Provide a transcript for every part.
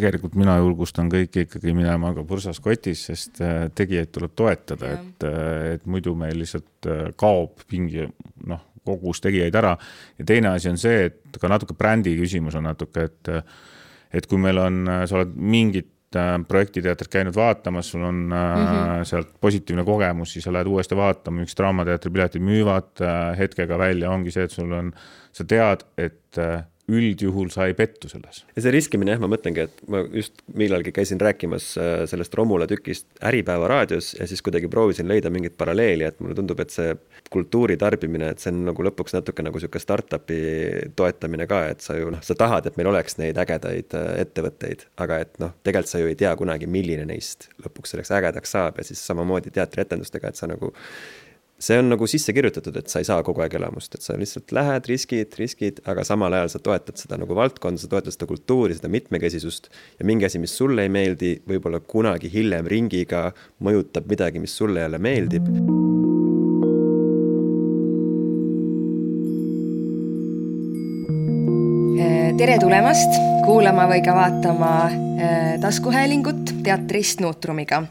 Tegelikult mina julgustan kõiki ikkagi minema ka pursas kotis, sest tegijaid tuleb toetada, et muidu meil lihtsalt kaob pingi kogus tegijaid ära. Ja teine asi on see, et ka natuke brändi küsimus on natuke, et kui meil on, sa oled mingit projektiteatrit käinud vaatamas, sul on sealt positiivne kogemus, siis sa lähed uuesti vaatama, miks Draamateatri piletid müüvad hetkega välja, ongi see, et sa tead, et üldjuhul sa ei pettu selles. Ja see riskimine, ma mõtlengi, et ma just millalgi käisin rääkimas sellest Romula tükist Äripäeva raadios ja siis kuidagi proovisin leida mingit paralleeli, et mulle tundub, et see kultuuri tarbimine, et see on nagu lõpuks natuke nagu selline startupi toetamine ka, et sa tahad, et meil oleks neid ägedaid ettevõtteid, aga et tegelikult sa ju ei tea kunagi, milline neist lõpuks selleks ägedaks saab ja siis samamoodi teatrietendustega, et sa nagu see on nagu sisse kirjutatud, et sa ei saa kogu aeg elamust, et sa lihtsalt lähed, riskid, aga samal ajal sa toetad seda nagu valdkonda, sa toetad seda kultuuri, seda mitmekesisust ja mingi asi, mis sulle ei meeldi, võib-olla kunagi hiljem ringiga mõjutab midagi, mis sulle jälle meeldib. Tere tulemast kuulama või ka vaatama taskuhäälingut teatrist Nuutrumiga.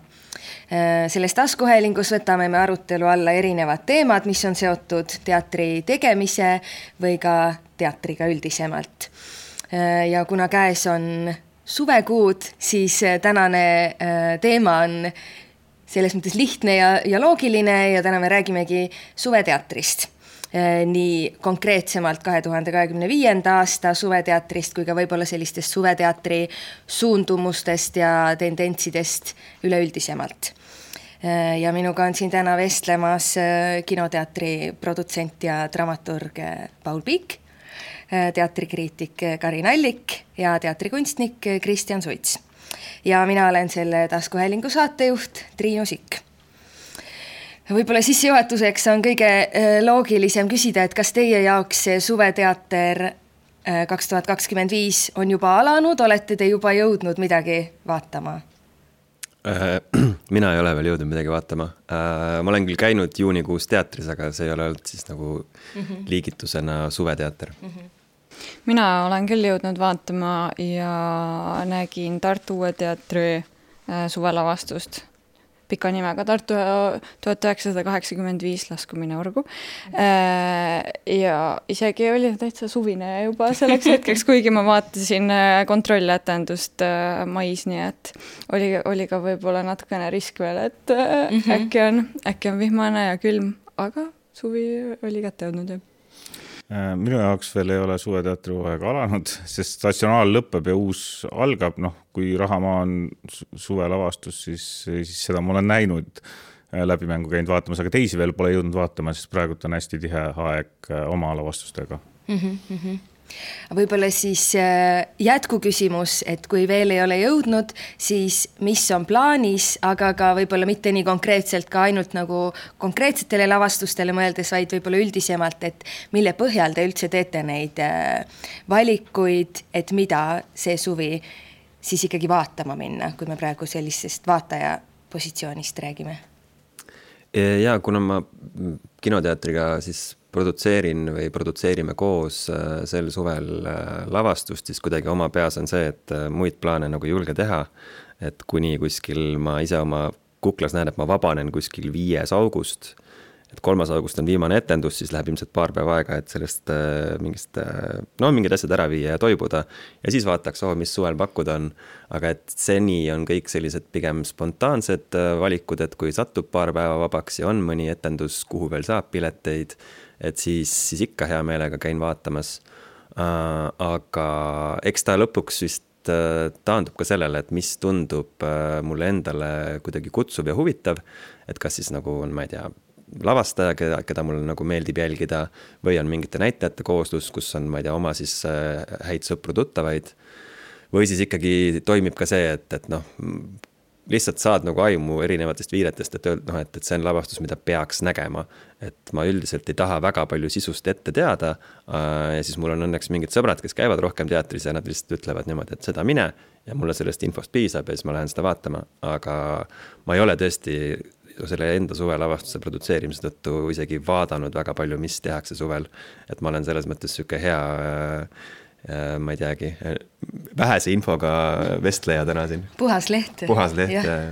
Selles taskuhäälingus võtame me arutelu alla erinevad teemad, mis on seotud teatri tegemise või ka teatriga üldisemalt. Ja kuna käes on suvekuud, siis tänane teema on selles mõttes lihtne ja loogiline ja täna me räägimegi suveteatrist. Nii konkreetsemalt 2025. aasta suveteatrist kui ka võib-olla sellistest suveteatri suundumustest ja tendentsidest üleüldisemalt. Ja minuga on siin täna vestlemas kinoteatri produtsent ja dramaturg Paul Piik, teatrikriitik Karin Allik ja teatrikunstnik Kristjan Suits. Ja mina olen selle taskuhäälingu saatejuht Triinu Sikk. Võib-olla sissejuhatuseks on kõige loogilisem küsida, et kas teie jaoks see suveteater 2025 on juba alanud, olete te juba jõudnud midagi vaatama? Mina ei ole veel jõudnud midagi vaatama. Ma olen küll käinud juunikuus teatris, aga see ei ole olnud siis nagu liigitusena suveteater. Mina olen küll jõudnud vaatama ja nägin Tartu Uue Teatri suvelavastust. Pika nimega Tartu 1985 laskumine orgu. Ja isegi oli täitsa suvine juba selleks hetkeks, kuigi ma vaatasin kontrolletendust mais, nii et oli ka võib-olla natukene risk veel, et äkki on vihmane ja külm, aga suvi oli kätte jõudnud. Minu jaoks veel ei ole suveteatri hooaeg alanud, sest statsionaal lõpeb ja uus algab. Kui Rahamaa on suvelavastus, siis seda ma olen näinud läbimängu käinud vaatamas, aga teisi veel pole jõudnud vaatama, sest praegu on hästi tihe aeg oma lavastustega. Võib-olla siis jätkuküsimus, et kui veel ei ole jõudnud, siis mis on plaanis, aga ka võib-olla mitte nii konkreetselt ka ainult nagu konkreetsetele lavastustele mõeldes, vaid võib-olla üldisemalt, et mille põhjal te üldse teete neid valikuid, et mida see suvi siis ikkagi vaatama minna, kui me praegu sellisest vaataja positsioonist räägime? Ja kuna ma kinoteatriga siis produtseerime koos sel suvel lavastust, siis kuidagi oma peas on see, et muid plaane nagu julge teha, et kuni kuskil ma ise oma kuklas näen, et ma vabanen kuskil 5. august, et 3. august on viimane etendus, siis läheb ilmselt paar päeva aega, et sellest mingid asjad ära viia ja toibuda ja siis vaataks, mis suvel pakkuda on, aga et seni on kõik sellised pigem spontaansed valikud, et kui satub paar päeva vabaks ja on mõni etendus, kuhu veel saab pileteid, et siis ikka hea meelega käin vaatamas, aga eks ta lõpuks vist taandub ka sellele, et mis tundub mulle endale kuidagi kutsuv ja huvitav, et kas siis nagu on, ma ei tea, lavastaja, keda mulle nagu meeldib jälgida või on mingite näitajate kooslus, kus on, ma ei tea, oma siis häid sõpru tuttavaid või siis ikkagi toimib ka see, et lihtsalt saad nagu aimu erinevatest viiretest, et see on lavastus, mida peaks nägema. Et ma üldiselt ei taha väga palju sisust ette teada ja siis mul on õnneks mingid sõbrad, kes käivad rohkem teatris ja nad lihtsalt ütlevad niimoodi, et seda mine ja mulle sellest infost piisab ja siis ma lähen seda vaatama, aga ma ei ole tõesti selle enda suvelavastuse produtseerimise tõttu isegi vaadanud väga palju, mis tehakse suvel, et ma olen selles mõttes süke ma ei teagi, vähese infoga vestleja täna siin. Puhas leht. Puhas leht, ja.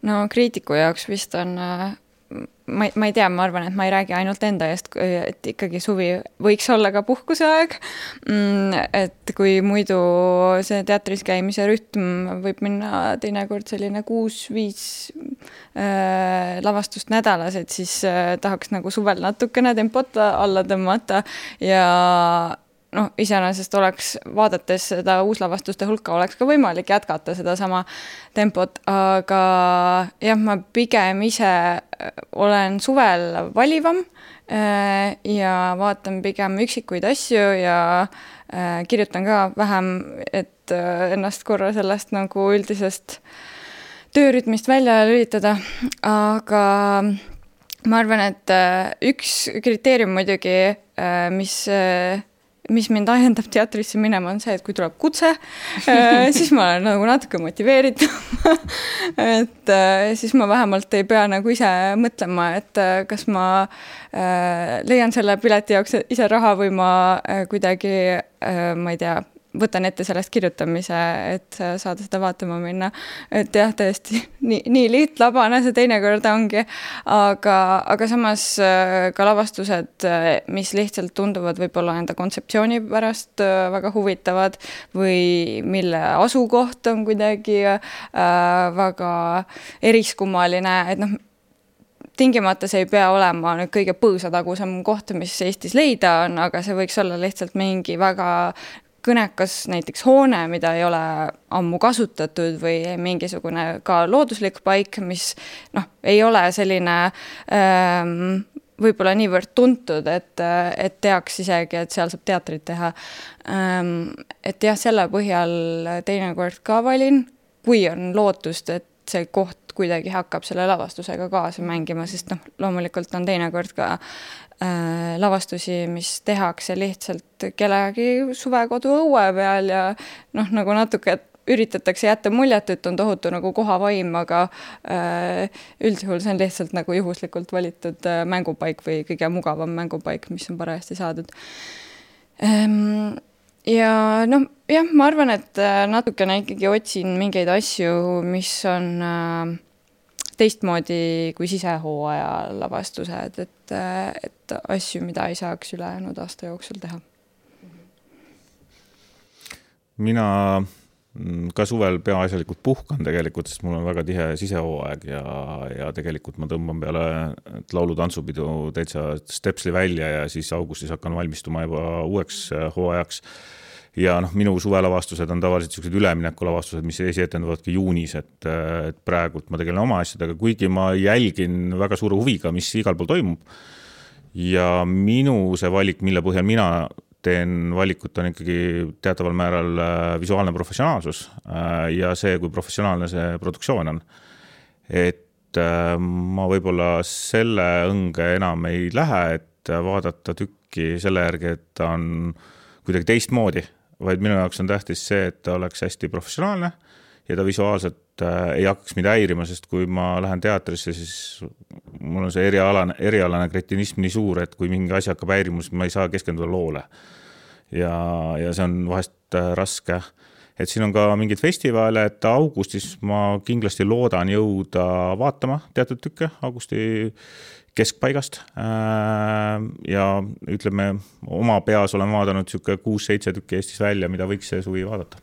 No kriitiku jaoks vist on, ma ei tea, ma arvan, et ma ei räägi ainult enda eest, et ikkagi suvi võiks olla ka puhkuse aeg, et kui muidu see teatris käimise rütm võib minna teinekord selline 6-5 lavastust nädalas, et siis tahaks nagu suvel natukene tempot alla tõmmata ja iseenesest oleks, vaadates seda uuslavastuste hulka, oleks ka võimalik jätkata seda sama tempot, aga jah, ma pigem ise olen suvel valivam ja vaatan pigem üksikuid asju ja kirjutan ka vähem, et ennast korra sellest nagu üldisest töörütmist välja lülitada, aga ma arvan, et üks kriteerium muidugi, mis mind ahendab teatrisse minema, on see, et kui tuleb kutse, siis ma olen nagu natuke motiveeritud. Et siis ma vähemalt ei pea nagu ise mõtlema, et kas ma leian selle pileti jaoks ise raha või ma kuidagi, ma ei tea, võtan ette sellest kirjutamise, et saada seda vaatama minna. Et jah, tõesti, nii lihtlabane see teinekord ongi, aga samas ka lavastused, mis lihtsalt tunduvad võib-olla enda kontseptsiooni pärast väga huvitavad või mille asukoht on kuidagi väga eriskummaline, et tingimata see ei pea olema nüüd kõige põõsatagusem koht, mis Eestis leida on, aga see võiks olla lihtsalt mingi väga kõnekas näiteks hoone, mida ei ole ammu kasutatud või mingisugune ka looduslik paik, mis ei ole selline võib-olla niivõrd tuntud, et teaks isegi, et seal saab teatrit teha. Et jah, selle põhjal teinekord ka valin, kui on lootust, et see koht kuidagi hakkab selle lavastusega kaasa mängima, sest loomulikult on teinekord ka lavastusi, mis tehakse lihtsalt kellegi suvekodu õue peal ja nagu natuke üritatakse jätta muljet, et on tohutu nagu kohavaim, aga üldjuhul see on lihtsalt nagu juhuslikult valitud mängupaik või kõige mugavam mängupaik, mis on parajasti saadud. Ja jah, ma arvan, et natukene ikkagi otsin mingeid asju, mis on teistmoodi kui sisehooaja lavastused, et asju, mida ei saaks ülejäänud aasta jooksul teha. Mina ka suvel peaasjalikult puhkan tegelikult, sest mul on väga tihe sisehooaeg ja tegelikult ma tõmban peale laulu-tantsupidu täitsa stepsli välja ja siis augustis hakkan valmistuma juba uueks hooajaks. Ja minu suvelavastused on tavaliselt sellised üleminekulavastused, mis esietenduvadki juunis, et praegult ma tegelen oma asjadega, kuigi ma jälgin väga suure huviga, mis igal pool toimub. Ja minu see valik, mille põhjal mina teen valikut, on ikkagi teataval määral visuaalne professionaalsus ja see, kui professionaalne see produktsioon on. Et ma võib-olla selle õnge enam ei lähe, et vaadata tükki selle järgi, et ta on kuidagi teistmoodi, vaid minu jaoks on tähtis see, et ta oleks hästi professionaalne ja ta visuaalselt ei hakkaks mida häirima, sest kui ma lähen teatrisse, siis mul on see erialane kretinism nii suur, et kui mingi asi hakkab häirima, siis ma ei saa keskenduda loole. Ja see on vahest raske. Et siin on ka mingid festivale, et augustis ma kindlasti loodan jõuda vaatama teatud tükke augusti keskpaigast ja ütleme, oma peas olen vaadanud 6-7 tükki Eestis välja, mida võiks see suvi vaadata.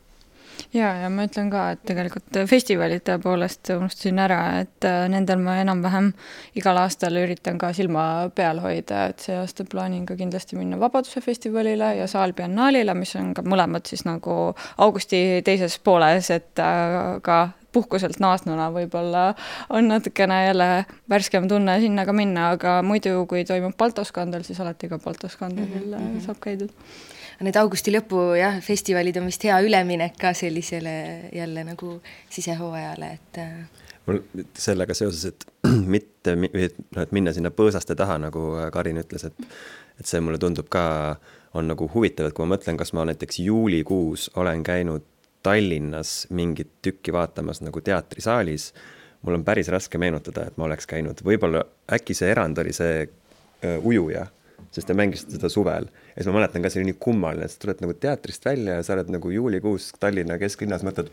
Ja ma ütlen ka, et tegelikult festivalide poolest unustasin ära, et nendel ma enam-vähem igal aastal üritan ka silma peal hoida, et see aasta plaanin ka kindlasti minna Vabaduse festivalile ja Saalbiennaalile, mis on ka mõlemad siis nagu augusti teises pooles, et ka puhkuselt naasnuna võib-olla on natukene jälle värskem tunne sinna ka minna, aga muidu, kui toimub Baltoskandel, siis alati ka Baltoskandel saab käidud. Need augusti lõpu festivalid on vist hea üleminek ka sellisele jälle nagu sisehooajale, et mul sellega seoses, et minna sinna põõsaste taha, nagu Karin ütles, et see mulle tundub ka on nagu huvitav, et kui ma mõtlen, kas ma näiteks juulikuus olen käinud Tallinnas mingit tükki vaatamas nagu teatrisaalis, mul on päris raske meenutada, et ma oleks käinud. Võib-olla äkki see erand oli see ujuja, sest te mängisite seda suvel. Ja siis ma mäletan ka, see oli nii kummaline, et sa tuled nagu teatrist välja ja sa oled nagu juulikuus Tallinna kesklinnas, mõtled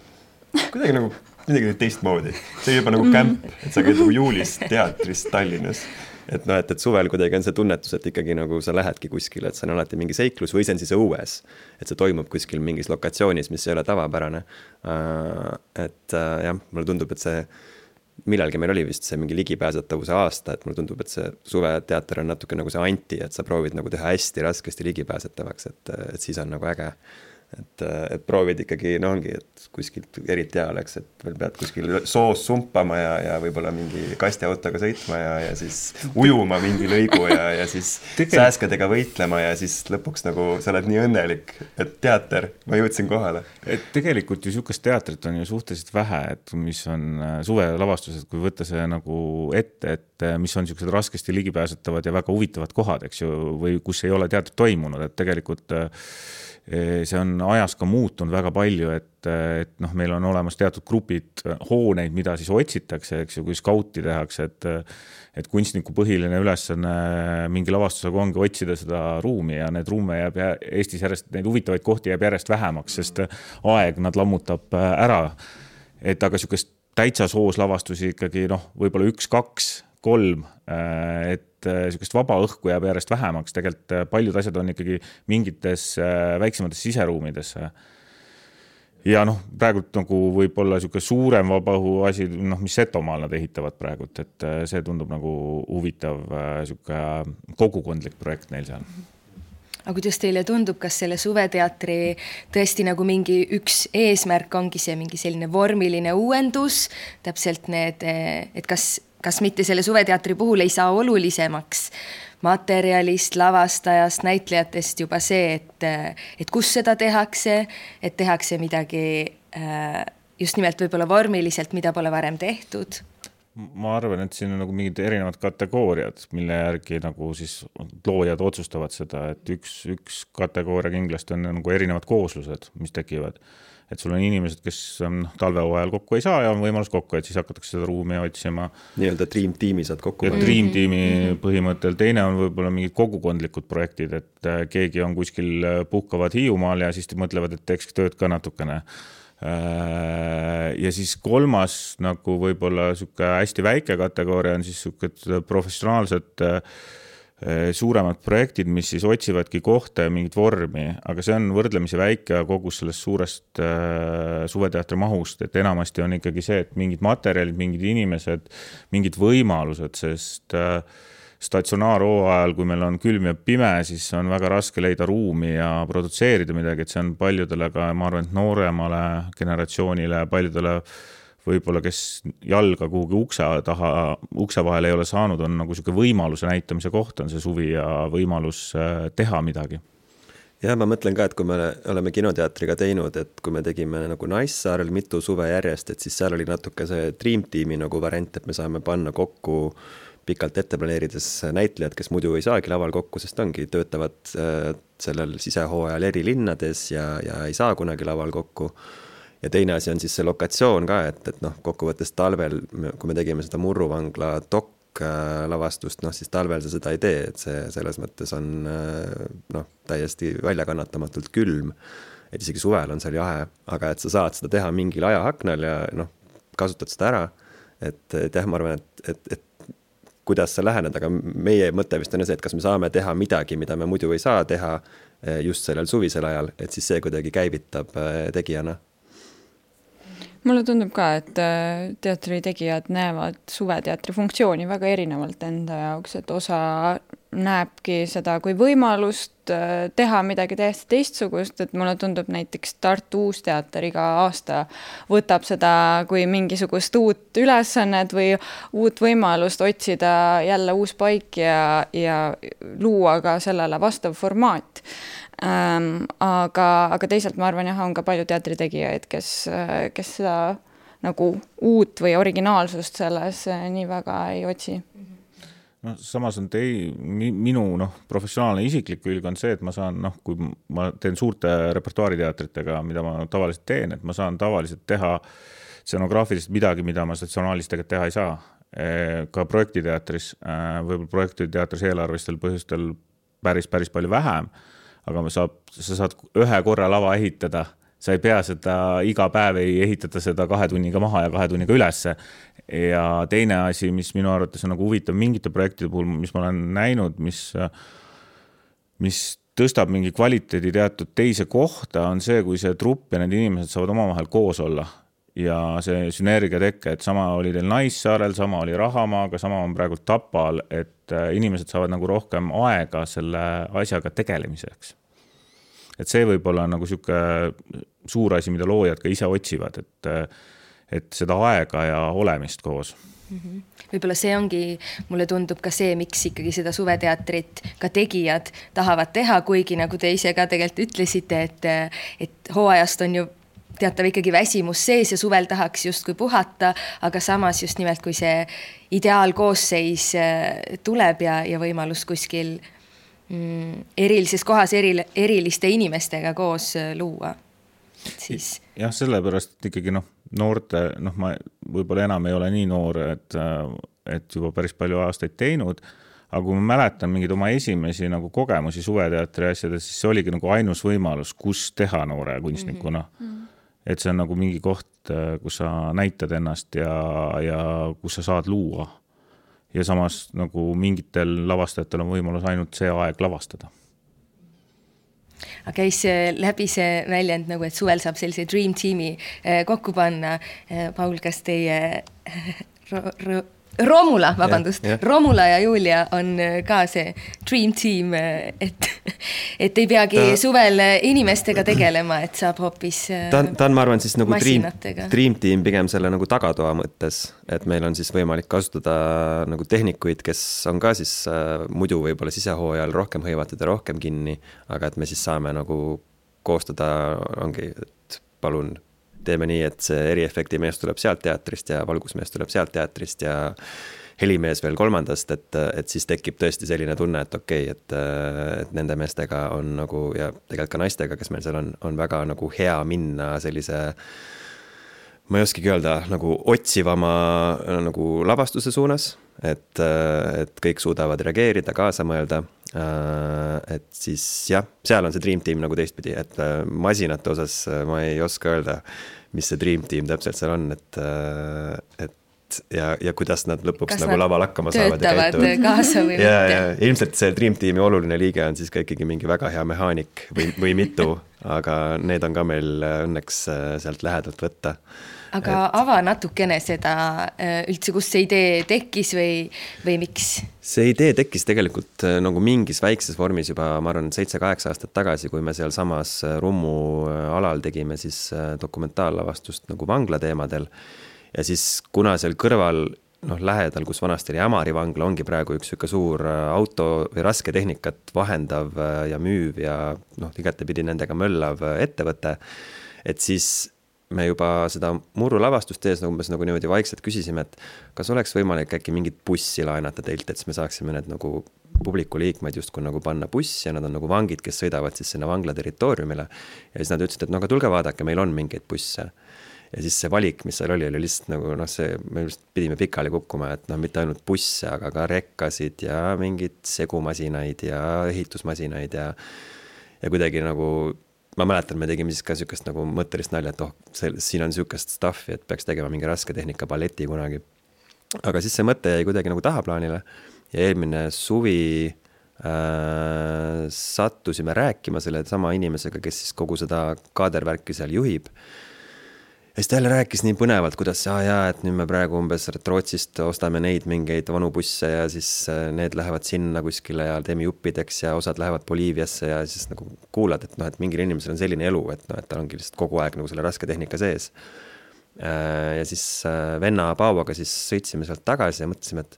kuidagi nagu midagi teistmoodi. See oli juba nagu kämp, et sa käid nagu juulis teatris Tallinnas. Et noh, et suvel kuidagi on see tunnetus, et ikkagi nagu sa lähedki kuskile, et see on alati mingi seiklus või see on siis õues, et see toimub kuskil mingis lokatsioonis, mis ei ole tavapärane. Et jah, mulle tundub, et see millalgi meil oli vist see mingi ligipääsetavuse aasta, et mulle tundub, et see suveteater on natuke nagu see anti, et sa proovid nagu teha hästi raskesti ligipääsetavaks, et siis on nagu äge. Et proovid ikkagi, no ongi, et kuskilt eriti hea oleks, et veel pead kuskil soos sumpama ja võib-olla mingi kastiautoga sõitma ja siis ujuma mingi lõigu ja siis sääskedega võitlema ja siis lõpuks nagu sa oled nii õnnelik, et teater, ma jõudsin kohale. Et tegelikult ju sihukest teatrit on ju suhteliselt vähe, et mis on suvelavastused, kui võtta see nagu ette, et mis on sihukesed raskesti ligipääsetavad ja väga huvitavad kohad, eks ju, või kus ei ole teatrit toimunud, et tegelikult see on ajas ka muutunud väga palju, et noh, meil on olemas teatud grupid hooneid, mida siis otsitakse, eks ju, kui skauti tehakse, et kunstniku põhiline ülesanne mingi lavastusega ongi otsida seda ruumi ja need ruume jääb Eestis järjest, neid huvitavaid kohti jääb järjest vähemaks, sest aeg nad lammutab ära. Et aga sihukest täitsa soos lavastusi ikkagi, noh, võib-olla 1, 2, 3, et sihukest vaba õhku jääb järjest vähemaks. Tegelikult paljud asjad on ikkagi mingites väiksemates siseruumides. Ja noh, praegult nagu võib-olla sihukene suurem vaba õhu asi, noh, mis Setomaal nad ehitavad praegult, et see tundub nagu huvitav sihukene kogukondlik projekt neil seal. Aga kuidas teile tundub, kas selle suveteatri tõesti nagu mingi üks eesmärk ongi see mingi selline vormiline uuendus, täpselt need, et kas mitte selle suveteatri puhul ei saa olulisemaks materjalist, lavastajast, näitlejatest juba see, et kus seda tehakse, et tehakse midagi just nimelt võib-olla vormiliselt, mida pole varem tehtud? Ma arvan, et siin on nagu mingid erinevad kategooriad, mille järgi nagu siis loojad otsustavad seda, et üks kategooria kindlasti on nagu erinevad kooslused, mis tekivad. Et sul on inimesed, kes talvehooajal kokku ei saa ja on võimalus kokku, et siis hakatakse seda ruumi otsima. Nii-öelda Dream Teami saad kokku. Dream Teami põhimõttel. Teine on võib-olla mingid kogukondlikud projektid, et keegi on kuskil puhkavad Hiiumaal ja siis mõtlevad, et teeks tööd ka natukene. Ja siis kolmas nagu võib-olla hästi väike kategooria on siis professionaalsed suuremad projektid, mis siis otsivadki kohta ja mingit vormi, aga see on võrdlemisi väike kogus sellest suurest suveteatri mahust, et enamasti on ikkagi see, et mingid materjalid, mingid inimesed, mingid võimalused, sest statsionaarhooajal, kui meil on külm ja pime, siis on väga raske leida ruumi ja produtseerida midagi, et see on paljudele ka, ma arvan, et nooremale generatsioonile, paljudele võib-olla, kes jalga kuhugi ukse vahel ei ole saanud, on nagu selline võimaluse näitamise koht on see suvi ja võimalus teha midagi. Ja ma mõtlen ka, et kui me oleme kinoteatriga teinud, et kui me tegime nagu Naissaarel mitu suve järjest, et siis seal oli natuke see Dream Teami nagu variant, et me saame panna kokku pikalt ette planeerides näitlejad, kes muidu ei saagi laval kokku, sest ongi, töötavad sellel sisehooajal eri linnades ja ei saa kunagi laval kokku. Ja teine asi on siis see lokatsioon ka, et noh, kokkuvõttes talvel, kui me tegime seda Murruvangla lavastust, noh siis talvel sa seda ei tee, et see selles mõttes on noh, täiesti väljakannatamatult külm, et isegi suvel on seal jahe, aga et sa saad seda teha mingil ajaaknal ja noh, kasutad seda ära, et jah, ma arvan, et kuidas sa lähened, aga meie mõte vist on see, et kas me saame teha midagi, mida me muidu ei saa teha just sellel suvisel ajal, et siis see kuidagi käivitab tegijana. Mulle tundub ka, et teatri tegijad näevad suveteatri funktsiooni väga erinevalt enda jaoks, et osa näebki seda kui võimalust teha midagi täiesti teistsugust, et mulle tundub näiteks Tartu Uusteater iga aasta võtab seda kui mingisugust uut ülesannet või uut võimalust otsida jälle uus paik ja luua ka sellele vastav formaat. Aga teisalt ma arvan, on ka palju teatritegijaid, kes seda nagu uut või originaalsust selles nii väga ei otsi. No, samas on minu professionaalne isiklik külg on see, et ma saan, kui ma teen suurte repertuaariteatritega, mida ma tavaliselt teen, et ma saan tavaliselt teha scenograafiliselt midagi, mida ma statsionaalis tegelikult teha ei saa. Ka projektiteatris, võib-olla projektiteatris eelarvistel põhjustel päris palju vähem, aga sa saad ühe korra lava ehitada, sa ei pea seda iga päev ei ehitada seda 2 tunniga maha ja 2 tunniga ülesse. Ja teine asi, mis minu arvates on nagu huvitav mingite projektide puhul, mis ma olen näinud, mis tõstab mingi kvaliteedi teatud teise kohta, on see, kui see trupp ja need inimesed saavad omavahel koos olla ja see sünergia tekke, et sama oli teil Naissaarel, sama oli Rahamaaga, sama on praegu Tapal, et inimesed saavad nagu rohkem aega selle asjaga tegelemiseks. Et see võib olla nagu siuke suur asi, mida loojad ka ise otsivad, et seda aega ja olemist koos. Võib-olla see ongi, mulle tundub ka see, miks ikkagi seda suveteatrit ka tegijad tahavad teha, kuigi nagu te ise ka tegelikult ütlesite, et hooajast on ju teatav ikkagi väsimus sees ja suvel tahaks justkui puhata, aga samas just nimelt, kui see ideaalkoosseis tuleb ja võimalus kuskil erilises kohas eriliste inimestega koos luua. Siis... Jah, sellepärast ikkagi noorte, ma võib-olla enam ei ole nii noor, et juba päris palju aastaid teinud, aga kui ma mäletan mingid oma esimesi nagu kogemusi suveteatri asjades, siis see oligi nagu ainus võimalus, kus teha noore kunstnikuna. Et see on nagu mingi koht, kus sa näitad ennast ja kus sa saad luua. Ja samas nagu mingitel lavastajatel on võimalus ainult see aeg lavastada. Aga käis läbi see väljend, nagu, et suvel saab sellise dream teami kokku panna. Paul, kas teie Romula, vabandust, Romula ja Julia on ka see dream team, et ei peagi suvel inimestega tegelema, et saab hoopis ta on, ma arvan, siis nagu dream team pigem selle nagu tagatoa mõttes, et meil on siis võimalik kasutada nagu tehnikuid, kes on ka siis muidu võib-olla sisehooajal rohkem hõivatud ja rohkem kinni, aga et me siis saame nagu koostada, ongi, et palun teeme nii, et see eriefekti mees tuleb sealt teatrist ja valgusmees tuleb sealt teatrist ja helimees veel kolmandast, et siis tekib tõesti selline tunne, et okei, et nende meestega on nagu, ja tegelikult ka naistega, kes meil seal on väga nagu hea minna sellise, ma ei oskagi öelda, nagu otsivama nagu lavastuse suunas, et kõik suudavad reageerida, kaasa mõelda, et siis jah, seal on see dream team nagu teistpidi, et masinate osas ma ei oska öelda, mis see dream team täpselt seal on, et ja kuidas nad lõpuks nagu laval hakkama saavad ja käituvad. Kaasa või mitte. Ja, ilmselt see dream teami oluline liige on siis ka ikkagi mingi väga hea mehaanik või mitu, aga need on ka meil õnneks sealt lähedalt võtta. Aga ava natukene seda üldse, kus see idee tekkis või miks? See idee tekkis tegelikult nagu mingis väikses vormis juba, ma arvan, 7-8 aastat tagasi, kui me seal samas Rummu alal tegime siis dokumentaallavastust nagu vangla teemadel. Ja siis kuna seal kõrval lähedal, kus vanasti oli Ämari vangla, ongi praegu üks suur auto või raske tehnikat vahendav ja müüv ja igatepidi nendega möllav ettevõte, et siis me juba seda murru lavastust tees umbes nagu niimoodi vaikselt küsisime, et kas oleks võimalik äkki mingit bussi laenata teilt, et siis me saaksime need nagu publiku liikmed justkui nagu panna bussi ja nad on nagu vangid, kes sõidavad siis sinna vangla territooriumile. Ja siis nad ütlesid, et aga tulge vaadake, meil on mingeid busse. Ja siis see valik, mis seal oli lihtsalt nagu me just pidime pikali kukkuma, et mitte ainult busse, aga ka rekkasid ja mingid segumasinaid ja ehitusmasinaid ja kuidagi nagu ma mäletan, me tegime siis ka sükest nagu mõttelist nalja, et siin on sükest staffi, et peaks tegema mingi raske tehnika balleti kunagi. Aga siis see mõte jäi kuidagi nagu tahaplaanile ja eelmine suvi sattusime rääkima selle sama inimesega, kes siis kogu seda kaadervärki seal juhib. Ja siis ta jälle rääkis nii põnevalt, kuidas et nüüd me praegu umbes Rootsist ostame neid mingeid vanu busse ja siis need lähevad sinna kuskile ja teeme juppideks ja osad lähevad Boliiviasse ja siis nagu kuulad, et mingil inimesel on selline elu, et ta ongi lihtsalt kogu aeg nagu selle raske tehnika sees. Ja siis venna Pauaga siis sõitsime sealt tagasi ja mõtlesime,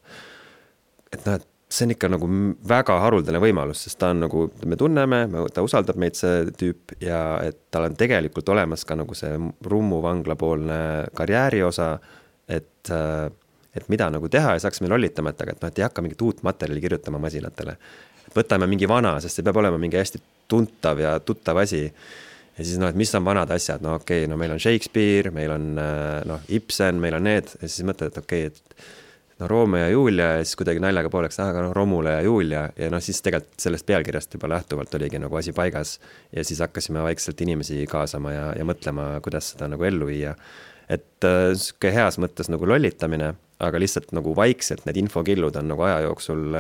et see on ikka nagu väga haruldane võimalus, sest ta on nagu, me tunneme, ta usaldab meid see tüüp ja et tal on tegelikult olemas ka nagu see Rummu vangla poolne karjääri osa, et mida nagu teha ja saaks meil lollitama, et ei hakka mingit uut materjali kirjutama masinatele. Võtame mingi vana, sest see peab olema mingi hästi tuntav ja tuttav asi. Ja siis et mis on vanad asjad? Meil on Shakespeare, meil on Ibsen, meil on need ja siis mõtled, et et Romeo ja Julia ja siis kuidagi naljaga pooleks, aga Romula ja Julia ja siis tegelikult sellest pealkirjast juba lähtuvalt oligi nagu asi paigas ja siis hakkasime vaikselt inimesi kaasama ja mõtlema, kuidas seda nagu ellu viia. Et siuke heas mõttes nagu lollitamine, aga lihtsalt nagu vaikselt need infokillud on nagu aja jooksul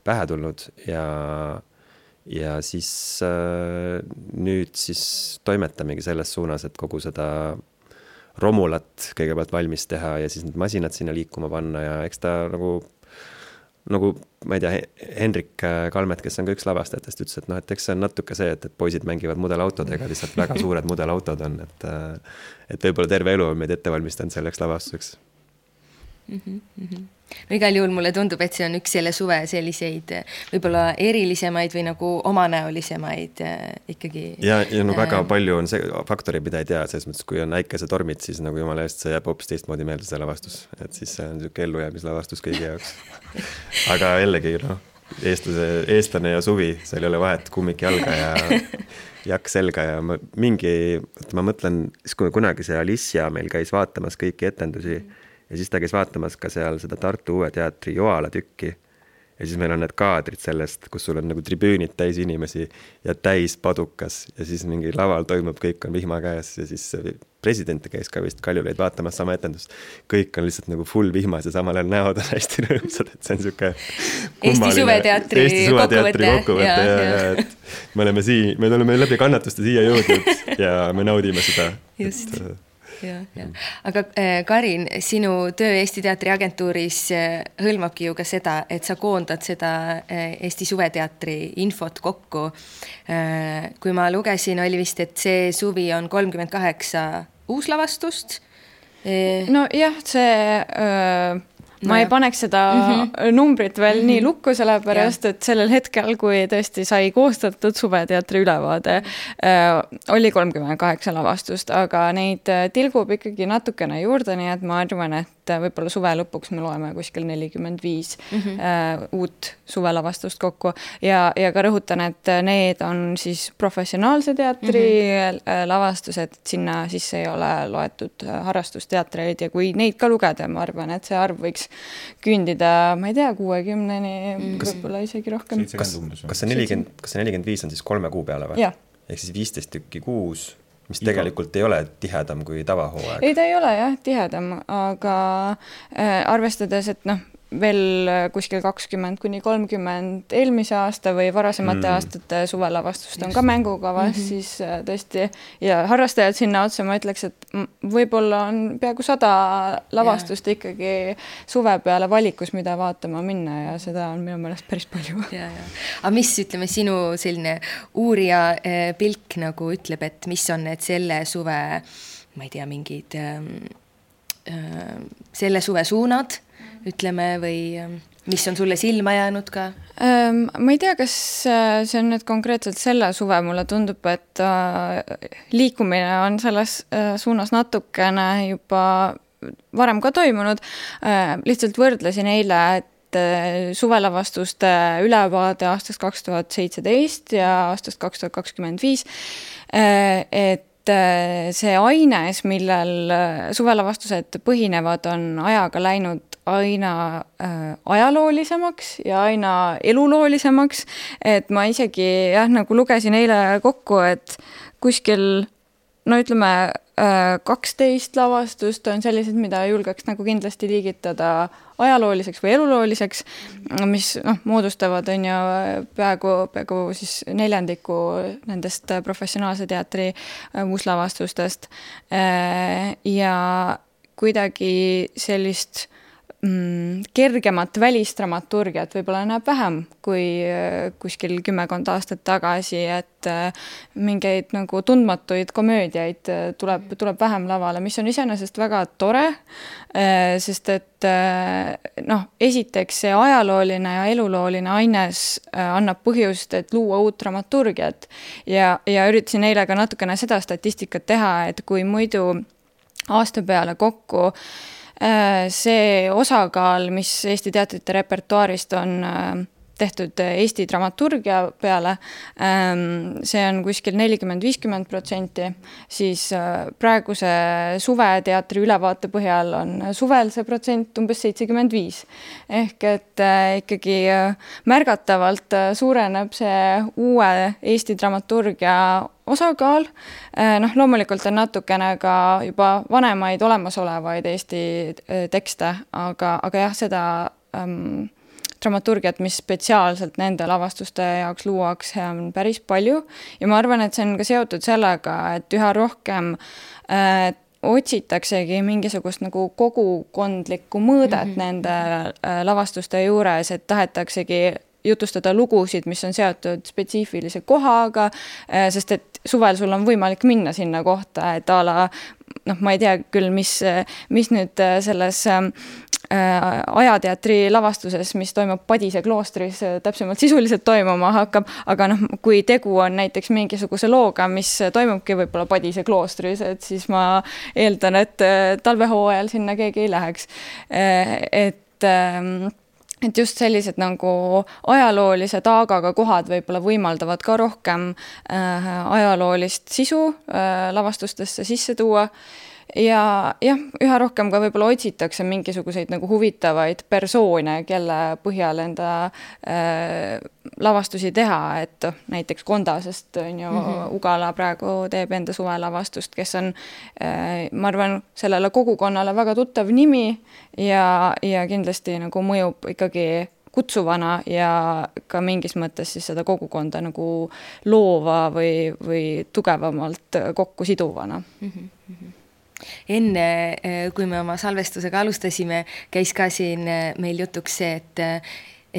pähe tulnud ja siis nüüd siis toimetamegi selles suunas, et kogu seda Romulat kõigepealt valmis teha ja siis need masinad sinna liikuma panna ja eks ta nagu ma ei tea, Henrik Kalmet, kes on ka üks lavastajatest, ütles, et et eks see on natuke see, et poisid mängivad mudelautodega, lihtsalt väga suured mudelautod on, et võib-olla terve elu on meid ette valmistanud selleks lavastuseks. No igal juhul mulle tundub, et see on üks selle suve selliseid võib-olla erilisemaid või nagu omanäolisemaid ikkagi. Ja väga palju on see faktori, mida ei tea, selles mõttes, kui on äikesetormid, siis nagu jumala eest see jääb hoopis teistmoodi meelde see lavastus, et siis see on niisugune ellujäämislavastus kõigi jaoks. Aga jällegi, eestlane ja suvi, seal ei ole vahet, kummik jalga ja jakk selga ja ma mõtlen, kui kunagi see Alicia meil käis vaatamas kõiki etendusi ja siis ta käis vaatamas ka seal seda Tartu Uue Teatri Joala tükki ja siis meil on need kaadrid sellest, kus sul on nagu tribüünid täis inimesi ja täis padukas ja siis mingi laval toimub, kõik on vihma käes ja siis president käis ka vist Kaljulaid vaatamas sama etendust. Kõik on lihtsalt nagu full vihmas ja samal ajal näod on hästi rõõmsad, et see on niisugune Eesti Suveteatri kokkuvõte ja me oleme läbi kannatuste siia jõudnud ja me naudime seda. Just. Ja. Aga Karin, sinu töö Eesti Teatri agentuuris hõlmabki ju ka seda, et sa koondad seda Eesti Suveteatri infot kokku. Kui ma lugesin, oli vist, et see suvi on 38 uuslavastust. No jah, ma ei paneks seda numbrit veel nii lukku, sellepärast, et sellel hetkel, kui tõesti sai koostatud Suveteatri ülevaade, oli 38 lavastust, aga neid tilgub ikkagi natukene juurde, nii et ma arvan, et võib-olla suve lõpuks me loeme kuskil 45 uut suvelavastust kokku ja ka rõhutan, et need on siis professionaalse teatri lavastused, sinna sisse ei ole loetud harrastusteatreid ja kui neid ka lugeda, ma arvan, et see arv võiks küündida, ma ei tea, 60-ni, võib-olla isegi rohkem. Kas see 45 on siis 3 kuu peale või? Ehk siis 15 tükki kuus, mis tegelikult ei ole tihedam kui tavahooaeg. Ei, ta ei ole jah tihedam, aga arvestades, et veel kuskil 20-30 eelmise aasta või varasemate aastate suvelavastust on ka mängukavas, siis tõesti, ja harrastajad sinna otsa, ma ütleks, et võib-olla on peaaegu 100 lavastust ikkagi suve peale valikus, mida vaatama minna ja seda on minu meelest päris palju. Aga mis, ütleme, sinu selline uurija pilk nagu ütleb, et mis on need selle suve, ma ei tea, mingid selle suve suunad, ütleme, või mis on sulle silma jäänud ka? Ma ei tea, kas see on nüüd konkreetselt selle suve, mulle tundub, et liikumine on selles suunas natukene juba varem ka toimunud. Lihtsalt võrdlesin eile, et suvelavastuste ülevaade aastast 2017 ja aastast 2025, et see aines, millel suvelavastused põhinevad, on ajaga läinud aina ajaloolisemaks ja aina eluloolisemaks, et ma isegi nagu lugesin eile kokku, et kuskil, ütleme, 12 lavastust on sellised, mida julgeks nagu kindlasti liigitada ajalooliseks või elulooliseks, mis moodustavad on ju peaaegu siis 4 nendest professionaalse teatri uuslavastustest ja kuidagi sellist kergemat välisdramaturgiat võib-olla näeb vähem kui kuskil 10 aastat tagasi, et mingeid nagu tundmatuid komöödiaid tuleb vähem lavale, mis on iseenesest väga tore, sest et esiteks see ajalooline ja elulooline aines annab põhjust, et luua uut dramaturgiat ja üritasin eile ka natukene seda statistikat teha, et kui muidu aasta peale kokku see osakaal, mis Eesti teatrite repertuaarist on tehtud Eesti dramaturgia peale, see on kuskil 40-50%, siis praeguse suveteatri ülevaate põhjal on suvel see protsent umbes 75. Ehk et ikkagi märgatavalt suureneb see uue Eesti dramaturgia osakaal. Loomulikult on natukene ka juba vanemaid olemasolevaid Eesti tekste, aga jah, seda dramaturgiat, mis spetsiaalselt nende lavastuste jaoks luuakse, on päris palju. Ja ma arvan, et see on ka seotud sellega, et üha rohkem otsitaksegi mingisugust nagu kogukondlikku mõõdet nende lavastuste juures, et tahetaksegi jutustada lugusid, mis on seotud spetsiifilise kohaga, sest et suvel sul on võimalik minna sinna kohta, et ma ei tea küll, mis nüüd selles ajateatri lavastuses, mis toimub Padise kloostris, täpsemalt sisuliselt toimuma hakkab, aga kui tegu on näiteks mingisuguse looga, mis toimubki võib-olla Padise kloostris, et siis ma eeldan, et talvehooajal sinna keegi ei läheks. Et just sellised nagu ajaloolise taagaga kohad võib-olla võimaldavad ka rohkem ajaloolist sisu lavastustesse sisse tuua. Ja jah, üha rohkem ka võib-olla otsitakse mingisuguseid nagu huvitavaid persoone, kelle põhjal enda lavastusi teha, et näiteks Kondasest on ju Ugala praegu teeb enda suvelavastust, kes on, ma arvan, sellele kogukonnale väga tuttav nimi ja kindlasti nagu mõjub ikkagi kutsuvana ja ka mingis mõttes siis seda kogukonda nagu loova või tugevamalt kokku siduvana. Enne, kui me oma salvestusega alustasime, käis ka siin meil jutuks see,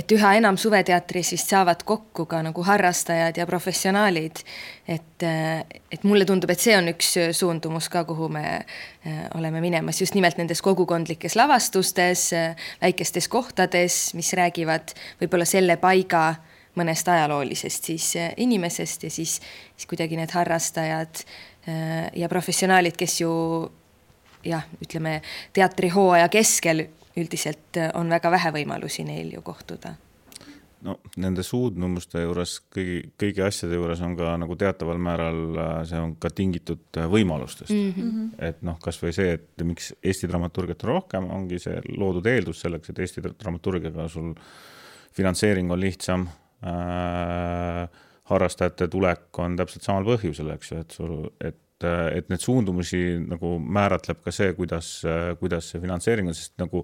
et üha enam suveteatris vist saavad kokku ka nagu harrastajad ja professionaalid. Et mulle tundub, et see on üks suundumus ka, kuhu me oleme minemas just nimelt nendes kogukondlikes lavastustes, väikestes kohtades, mis räägivad võib-olla selle paiga mõnest ajaloolisest siis inimesest ja siis kuidagi need harrastajad ja professionaalid, kes ju ütleme, teatrihooaja keskel üldiselt on väga vähe võimalusi neil ju kohtuda. No, nende suudnumuste juures, kõigi asjade juures on ka nagu teataval määral, see on ka tingitud võimalustest. Et kas või see, et miks Eesti dramaturgiat on rohkem, ongi see loodud eeldus selleks, et Eesti dramaturgiaga sul finantseering on lihtsam, harrastajate tulek on täpselt samal põhjusel, eks ju, et need suundumusi nagu määratleb ka see, kuidas see finantseering on, sest nagu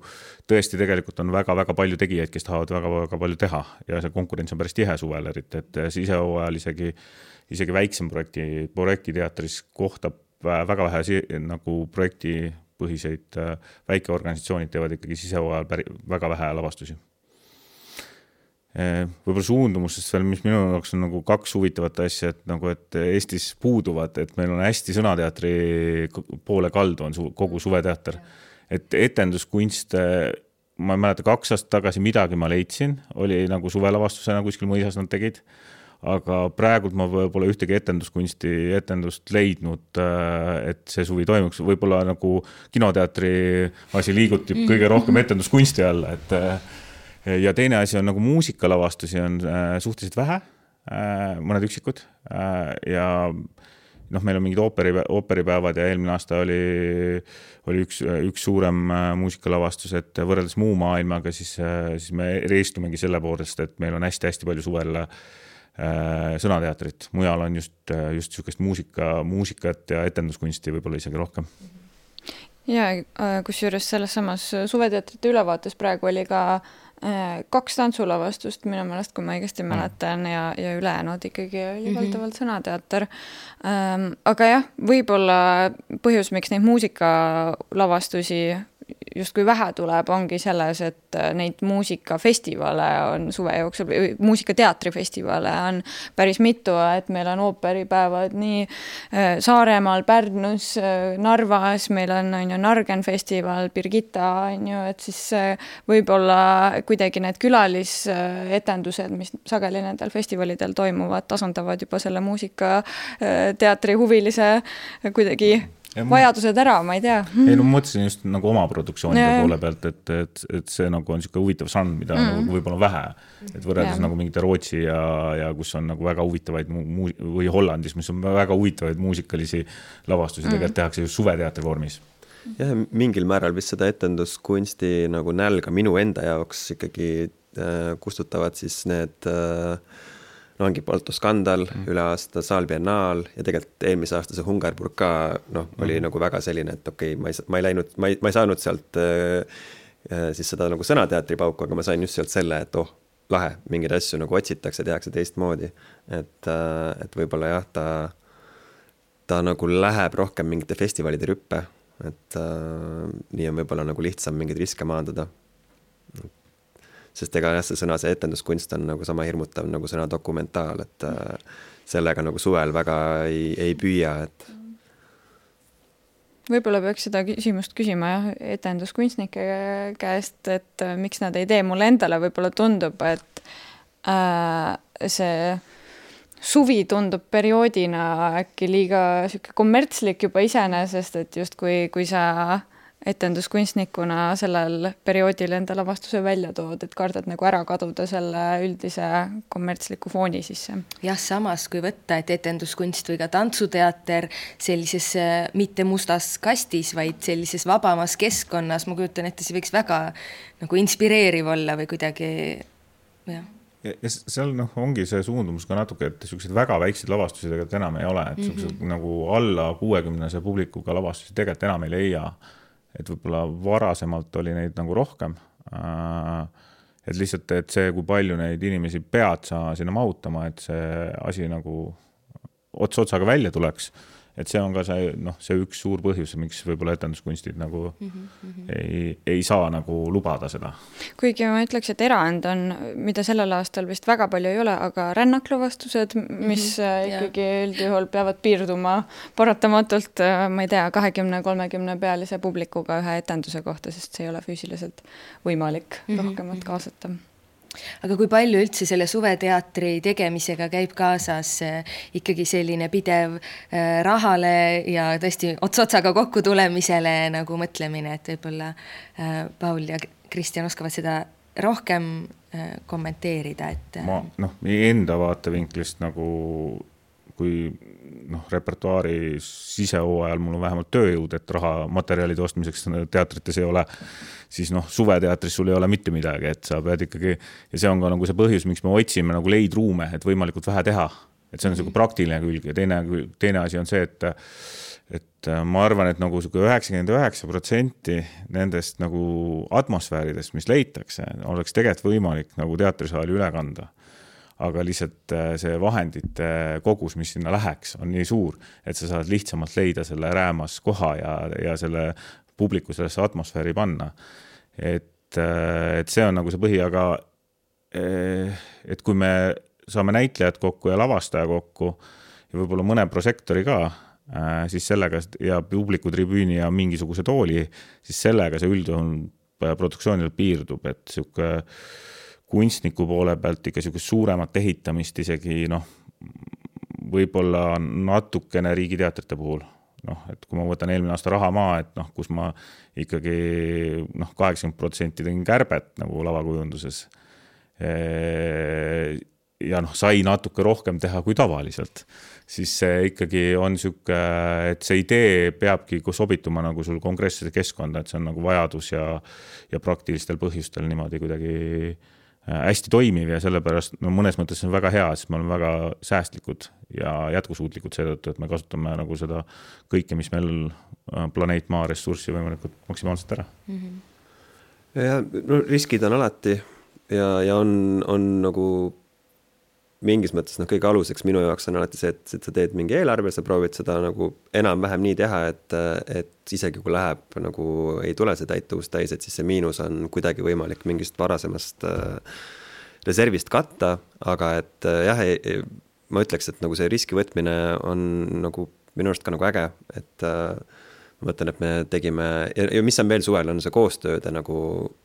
tõesti tegelikult on väga-väga palju tegijaid, kes tahavad väga-väga palju teha ja see konkurents on päris tihe suvel, et sisehooajal isegi väiksem projektiteatris kohtab väga vähe nagu projektipõhiseid väikeorganisatsioonid teevad ikkagi sisehooajal väga vähe lavastusi. Võib-olla suundumustest veel, mis minu jaoks on nagu kaks huvitavat asja, et Eestis puuduvad, et meil on hästi sõnateatri poole kaldu on kogu suveteater. Et etenduskunst, ma ei mäleta 2 aastat tagasi midagi ma leidsin, oli nagu suvelavastusena kuskil mõisas nad tegid, aga praegult ma pole ühtegi etendust leidnud, et see suvi toimuks. Võib-olla nagu kinoteatri asi liigutib kõige rohkem etenduskunsti alla, ja teine asi on nagu muusikalavastusi on suhteliselt vähe, mõned üksikud ja meil on mingid ooperipäevad ja eelmine aasta oli üks suurem muusikalavastus, et võrreldes muu maailmaga siis me reistumegi selle poolest, et meil on hästi-hästi palju suvel sõnateatrit. Mujal on just niisugust muusikat ja etenduskunsti võib-olla isegi rohkem. Ja kusjuures selles samas suveteatrite ülevaates praegu oli ka 2 tantsulavastust minu meelest, kui ma õigesti mäletan ja ülejäänud ikkagi oli valdavalt sõnateater. Aga jah, võib-olla põhjus, miks neid muusikalavastusi justkui vähe tuleb, ongi selles, et neid muusikafestivale on suve jooksul, muusikateatrifestivale on päris mitu, et meil on ooperipäevad nii Saaremaal, Pärnus, Narvas, meil on Nargen festival, Birgitta, et siis võib-olla kuidagi need külalisetendused, mis sageli nendel festivalidel toimuvad, tasandavad juba selle muusikateatri huvilise kuidagi vajadused ära, ma ei tea. Ei, no ma mõtlesin just nagu oma produktsioonide poole pealt, et see nagu on niisugune huvitav samm, mida nagu võib-olla vähe, et võrreldes nagu mingite Rootsi ja kus on nagu väga huvitavaid või Hollandis, mis on väga huvitavaid muusikalisi lavastusi, tegelikult tehakse just suveteatri vormis. Jah, mingil määral vist seda etenduskunsti nagu nälga minu enda jaoks ikkagi kustutavad siis need ongi Balto Skandal, üle aasta Saal Biennaal ja tegelikult eelmise aasta see Hungarburg ka oli nagu väga selline, et okei, ma ei saanud sealt siis seda nagu sõnateatri pauku, aga ma sain just sealt selle, et lahe, mingeid asju nagu otsitakse, tehakse teistmoodi. Et võib-olla jah, ta nagu läheb rohkem mingite festivalide rüppe, et nii on võib-olla nagu lihtsam mingeid riske maandada. Sest ega jah, see sõna, see etenduskunst on nagu sama hirmutav nagu sõna dokumentaal, et sellega nagu suvel väga ei püüa, et võib-olla peaks seda küsimust küsima etenduskunstnike käest, et miks nad ei tee, mulle endale võib-olla tundub, et see suvi tundub perioodina äkki liiga kommertslik juba iseenesest, et just kui sa etenduskunstnikuna sellel perioodil enda lavastuse välja tood, et kardad nagu ära kaduda selle üldise kommertsliku fooni sisse. Jah, samas kui võtta, et etenduskunst või ka tantsuteater sellises mitte mustas kastis, vaid sellises vabamas keskkonnas, ma kujutan, et see võiks väga nagu inspireeriv olla või kuidagi, jah. Ja seal ongi see suundumus ka natuke, et sellised väga väiksed lavastusi tegelikult enam ei ole, et nagu alla 60 publikuga lavastusi tegelikult enam ei leia. Et võib-olla varasemalt oli neid nagu rohkem, et lihtsalt, et see, kui palju neid inimesi pead sa sinna mahutama, et see asi nagu otsaga välja tuleks, et see on ka see üks suur põhjus, miks võib-olla etenduskunstid nagu ei saa nagu lubada seda. Kuigi ma ütleks, et erand on, mida sellel aastal vist väga palju ei ole, aga rännaklavastused, mis ikkagi üldjuhul peavad piirduma paratamatult, ma ei tea, 20-30 pealise publikuga ühe etenduse kohta, sest see ei ole füüsiliselt võimalik rohkemat kaasata. Aga kui palju üldse selle suveteatri tegemisega käib kaasas ikkagi selline pidev rahale ja tõesti otsotsaga kokku tulemisele nagu mõtlemine, et võib-olla Paul ja Kristjan oskavad seda rohkem kommenteerida, et ma enda vaatevinklist nagu kui repertuaari sisehooajal mul on vähemalt tööjõud, et raha materjalide ostmiseks teatrites ei ole, siis suveteatris sul ei ole mitte midagi, et sa pead ikkagi, ja see on ka nagu see põhjus, miks me otsime nagu leidruume, et võimalikult vähe teha, et see on selline praktiline külg ja teine asi on see, et ma arvan, et nagu 99% nendest nagu atmosfääridest, mis leitakse, oleks tegelikult võimalik nagu teatrisaali üle kanda. Aga lihtsalt see vahendite kogus, mis sinna läheks, on nii suur, et sa saad lihtsamalt leida selle räämas koha ja selle publiku sellesse atmosfääri panna. Et see on nagu see põhi, aga et kui me saame näitlejad kokku ja lavastaja kokku ja võib-olla mõne prosektori ka, siis sellega ja publiku tribüüni ja mingisuguse tooli, siis sellega see üldjuhul produktsioonil piirdub, et siuke kunstniku poole pealt ikka suuremat ehitamist isegi võib-olla natukene riigiteatrite puhul. Et kui ma võtan eelmine aasta Rahamaa, et kus ma ikkagi 80% tegin kärbet nagu lavakujunduses ja sai natuke rohkem teha kui tavaliselt, siis see ikkagi on siuke, et see idee peabki sobituma nagu sul konkreetsesse keskkonda, et see on nagu vajadus ja praktilistel põhjustel niimoodi kuidagi hästi toimiv ja sellepärast mõnes mõttes on väga hea, sest me oleme väga säästlikud ja jätkusuutlikud seetõttu, et me kasutame nagu seda kõike, mis meil planeet Maa ressurssi võimalikult maksimaalselt ära. Ja riskid on alati ja on nagu mingis mõttes kõige aluseks minu jaoks on alati see, et sa teed mingi eelarve, sa proovid seda nagu enam-vähem nii teha, et isegi kui läheb nagu ei tule see täituvus täis, et siis see miinus on kuidagi võimalik mingist varasemast reservist katta, aga et jah, ma ütleks, et nagu see riski võtmine on nagu minu arust ka nagu äge, et ma mõtlen, et me tegime, ja mis on veel suvel, on see koostööde nagu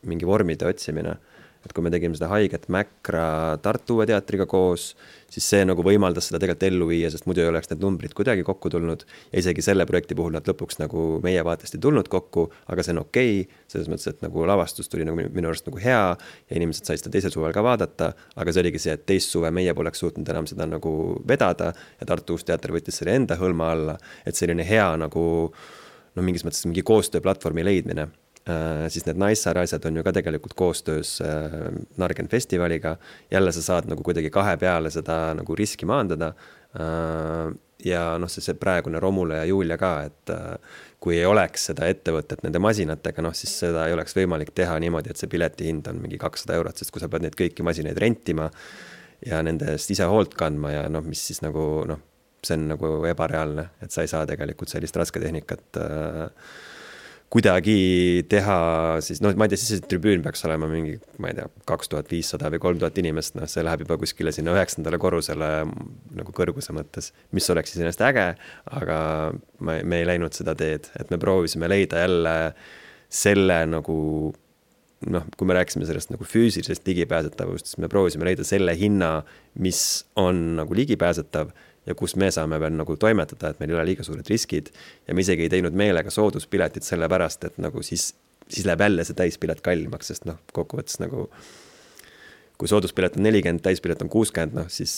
mingi vormide otsimine. et kui me tegime seda Haiget Mäkra Tartu Uue Teatriga koos, siis see nagu võimaldas seda tegelikult ellu viia, sest muidu ei oleks need numbrid kuidagi kokku tulnud ja isegi selle projekti puhul nad lõpuks nagu meie vaatest ei tulnud kokku, aga see on okei, selles mõttes, et nagu lavastus tuli nagu minu arust nagu hea ja inimesed said seda teisel suvel ka vaadata, aga see oligi see, et teist suve meie poleks suutnud enam seda nagu vedada ja Tartu Uus Teater võttis selle enda hõlma alla, et selline hea nagu mingis mõttes mingi koostööplatvormi leidmine. Siis need Naissaare asjad on ju ka tegelikult koostöös Nargen festivaliga. Jälle sa saad nagu kuidagi kahe peale seda nagu riski maandada. Ja see praegune Romule ja Julia ka, et kui ei oleks seda ettevõtet nende masinatega, siis seda ei oleks võimalik teha niimoodi, et see pileti hind on mingi 200 €, sest kui sa pead neid kõiki masinaid rentima ja nendest ise hoolt kandma ja mis siis nagu, see on nagu ebareaalne, et sa ei saa tegelikult sellist rasketehnikat kuidagi teha, siis ma ei tea, siis see tribüün peaks olema mingi, ma ei tea, 2500 või 3000 inimest, see läheb juba kuskile sinna 9. korrusele nagu kõrguse mõttes, mis oleks siis ennast äge, aga me ei läinud seda teed, et me proovisime leida jälle selle nagu, kui me rääkisime sellest nagu füüsilisest ligipääsetavust, siis me proovisime leida selle hinna, mis on nagu ligipääsetav, ja kus me saame veel nagu toimetada, et meil ei ole liiga suured riskid ja me isegi ei teinud meelega sooduspiletit selle pärast, et nagu siis läheb jälle see täispilet kallimaks, sest kokkuvõttes nagu kui sooduspilet on 40, täispilet on 60, siis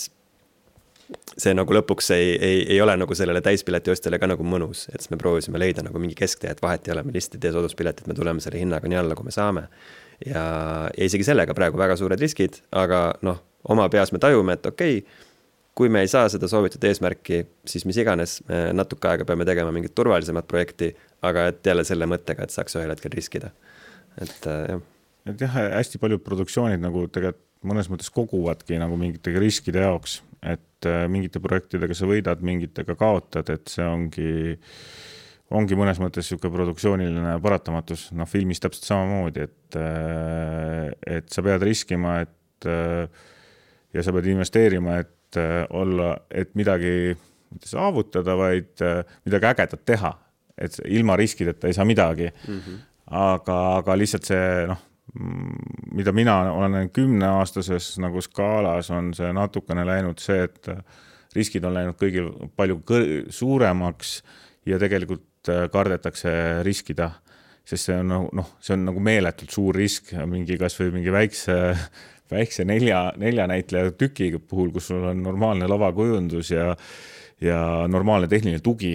see nagu lõpuks ei ole nagu sellele täispileti ostjale ka nagu mõnus, et siis me proovisime leida nagu mingi kesktee, et vahet ei ole, me lihtsalt ei tee sooduspiletit, me tuleme selle hinnaga nii alla, kui me saame ja isegi sellega praegu väga suured riskid, aga oma peas me tajume, et okei, kui me ei saa seda soovitud eesmärki, siis mis iganes, me natuke aega peame tegema mingit turvalisemat projekti, aga et jälle selle mõttega, et saaks ühel hetkel riskida. Et jah, hästi paljud produktsioonid nagu tegelikult mõnes mõttes koguvadki nagu mingitega riskide jaoks, et mingite projektidega sa võidad, mingitega kaotad, et see ongi mõnes mõttes siuke produktsiooniline paratamatus, filmis täpselt samamoodi, et sa pead riskima, ja sa pead investeerima, et midagi mitte saavutada, vaid midagi ägedat teha, et ilma riskideta ei saa midagi. Aga lihtsalt see, mida mina olen 10-aastases nagu skaalas, on see natukene läinud see, et riskid on läinud kõigil palju suuremaks ja tegelikult kardetakse riskida, sest see on nagu meeletult suur risk, kas või mingi väikse nelja näitleja tüki puhul, kus sul on normaalne lavakujundus ja normaalne tehniline tugi,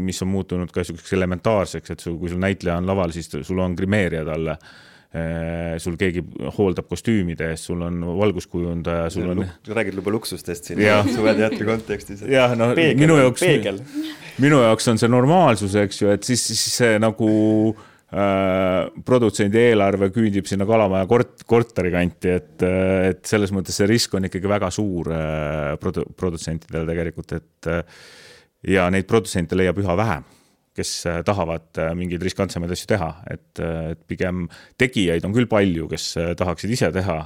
mis on muutunud ka selliseks elementaarseks, et kui sul näitleja on laval, siis sul on grimeerija talle, sul keegi hooldab kostüümide eest, sul on valguskujundaja, sul on... Räägid juba luksustest siin suveteatri kontekstis. Jah, minu jaoks on see normaalsus, eks ju, et siis see nagu... produtsendi eelarve küündib sinna Kalamaja korteri kanti, et selles mõttes see risk on ikkagi väga suur produtsentidel tegelikult, et ja neid produtsente leiab üha vähem, kes tahavad mingeid riskantsemaid asju teha, et pigem tegijaid on küll palju, kes tahaksid ise teha,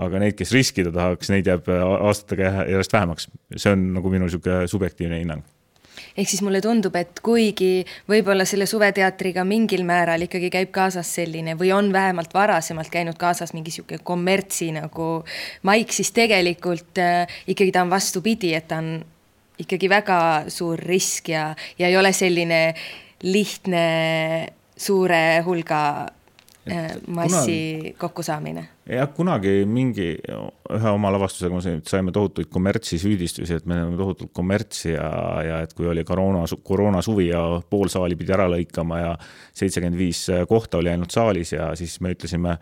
aga neid, kes riskida tahaks, neid jääb aastatega järjest vähemaks. See on nagu minu subjektiivne hinnang. Ehk siis mulle tundub, et kuigi võib-olla selle suveteatriga mingil määral ikkagi käib kaasas selline või on vähemalt varasemalt käinud kaasas mingi siuke kommertsi nagu maik, siis tegelikult ikkagi ta on vastupidi, et ta on ikkagi väga suur risk ja ei ole selline lihtne suure hulga massi kokkusaamine. Ja kunagi ühe oma lavastusega saime tohutuid kommertsi süüdistusi, et me oleme tohutult kommertsi ja et kui oli koroona suvi ja pool saali pidi ära lõikama ja 75 kohta oli ainult saalis ja siis me ütlesime,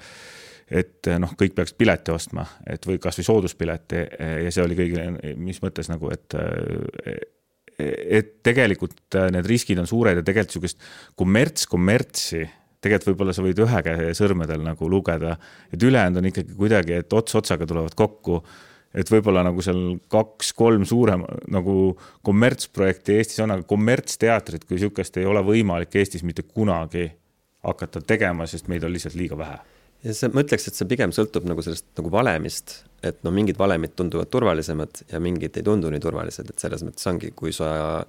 et kõik peaks pileti ostma, et või kas või sooduspileti ja see oli kõigile, mis mõttes nagu, et tegelikult need riskid on suured ja tegelikult sellisest kommertsi tegelikult võib-olla sa võid ühe käe sõrmedel nagu lugeda, et ülejäänud on ikkagi kuidagi, et otsaga tulevad kokku, et võib-olla nagu seal 2-3 suurem nagu kommertsprojekti Eestis on, aga kommertsteatrit kui sihukest ei ole võimalik Eestis mitte kunagi hakata tegema, sest meid on lihtsalt liiga vähe. Ja ma ütleks, et see pigem sõltub nagu sellest nagu valemist, et mingid valemid tunduvad turvalisemad ja mingid ei tundu nii turvalised, et selles mõttes ongi, kui sa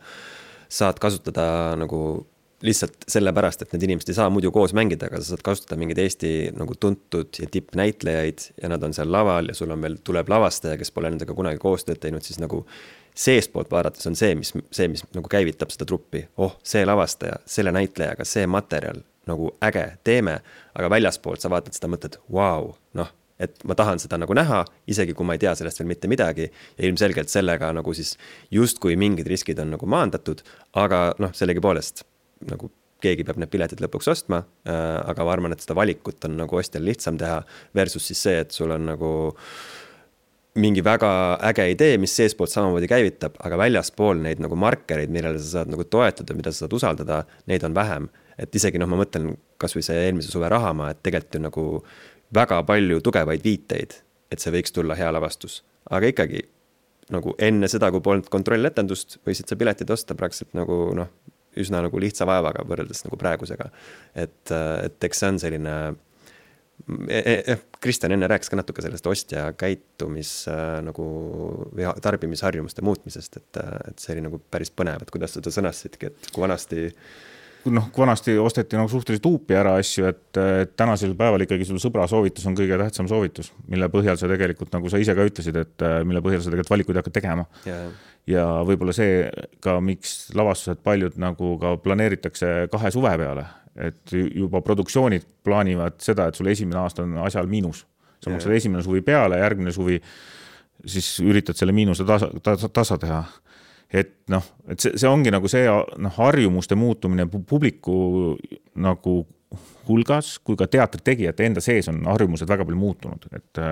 saad kasutada nagu lihtsalt sellepärast, et need inimesed ei saa muidu koos mängida, aga sa saad kasutada mingeid Eesti nagu tuntud ja tippnäitlejaid ja nad on seal laval ja sul on veel tuleb lavastaja, kes pole nendega kunagi koostööd teinud, siis nagu seespoolt vaadates on see, mis nagu käivitab seda truppi. See lavastaja, selle näitlejaga, see materjal, nagu äge, teeme, aga väljaspoolt sa vaatad seda mõtled, vau, et ma tahan seda nagu näha, isegi kui ma ei tea sellest veel mitte midagi ja ilmselgelt sellega nagu siis justkui mingid riskid on nagu maandatud, aga sellegipoolest nagu keegi peab need piletid lõpuks ostma, aga ma arvan, et seda valikut on nagu ostjal lihtsam teha versus siis see, et sul on nagu mingi väga äge idee, mis seespoolt samamoodi käivitab, aga väljaspool neid nagu markereid, millele sa saad nagu toetada, mida sa saad usaldada, neid on vähem. Et isegi ma mõtlen kas või see eelmise suve Rahamaa, et tegelikult on nagu väga palju tugevaid viiteid, et see võiks tulla hea lavastus. Aga ikkagi nagu enne seda, kui polnud kontrolletendust, võisid sa piletid osta praktiliselt nagu üsna nagu lihtsa vaevaga võrreldes nagu praegusega. Et eks see on selline Kristjan enne rääkis ka natuke sellest ostja käitumis nagu tarbimisharjumuste muutmisest, et see oli nagu päris põnev, et kuidas seda sõnastidki, et kui vanasti osteti nagu suhteliselt huupi ära asju, et tänasel päeval ikkagi sul sõbra soovitus on kõige tähtsam soovitus, mille põhjal sa tegelikult, nagu sa ise ka ütlesid, et mille põhjal sa tegelikult valikuid hakkad tegema. Ja võib-olla see ka, miks lavastused paljud nagu ka planeeritakse 2 suve peale, et juba produktsioonid plaanivad seda, et sul esimene aasta on asjal miinus. Sa maksad esimene suvi peale, järgmine suvi siis üritad selle miinuse tasa teha. Et see ongi nagu see harjumuste muutumine publiku nagu hulgas, kui ka teatritegijate enda sees on harjumused väga palju muutunud. Et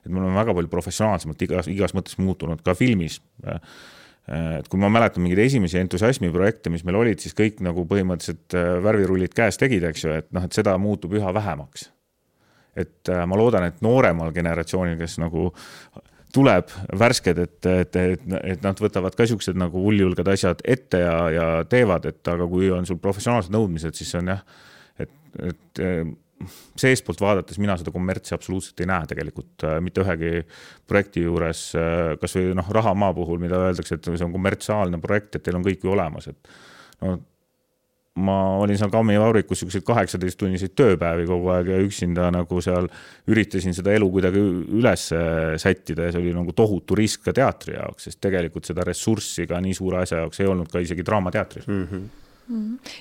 me oleme väga palju professionaalsemalt igas mõttes muutunud ka filmis. Et kui ma mäletan mingeid esimesi entusiasmi projekte, mis meil olid, siis kõik nagu põhimõtteliselt värvirullid käes tegid, eks ju, et seda muutub üha vähemaks. Et ma loodan, et nooremal generatsioonil, kes nagu tuleb värsked, et nad võtavad ka siuksed nagu uljulgad asjad ette ja teevad, aga kui on sul professionaalsed nõudmised, siis on et seespoolt vaadates mina seda kommertsi absoluutselt ei näe tegelikult mitte ühegi projekti juures, kas või Rahamaa puhul, mida öeldakse, et see on kommertsiaalne projekt, et teil on kõik ju olemas, et ma olin seal Kammi Vaurikus 18-tunniseid tööpäevi kogu aeg ja üksinda nagu seal üritasin seda elu kuidagi üles sättida ja see oli nagu tohutu risk ka teatri jaoks, sest tegelikult seda ressurssi ka nii suure asja jaoks ei olnud ka isegi draamateatris.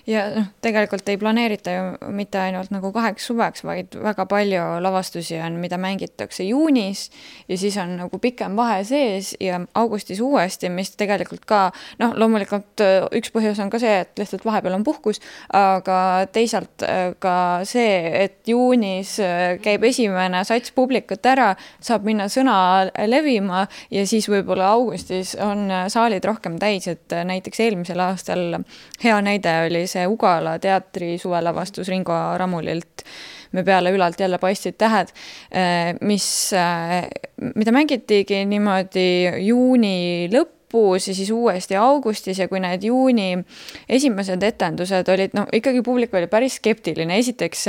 Ja tegelikult ei planeerita ju mitte ainult nagu 2 suveks, vaid väga palju lavastusi on, mida mängitakse juunis ja siis on nagu pikem vahe sees ja augustis uuesti, mis tegelikult ka, loomulikult üks põhjus on ka see, et lihtsalt vahepeal on puhkus, aga teisalt ka see, et juunis käib esimene sats publikut ära, saab minna sõna levima ja siis võib-olla augustis on saalid rohkem täis, et näiteks eelmisel aastal hea näide oli see Ugala teatri suvelavastus Ringo Ramulilt Me peale ülalt jälle paistsid tähed, mida mängitigi niimoodi juuni lõpus ja siis uuesti augustis ja kui need juuni esimesed etendused olid, ikkagi publik oli päris skeptiline. Esiteks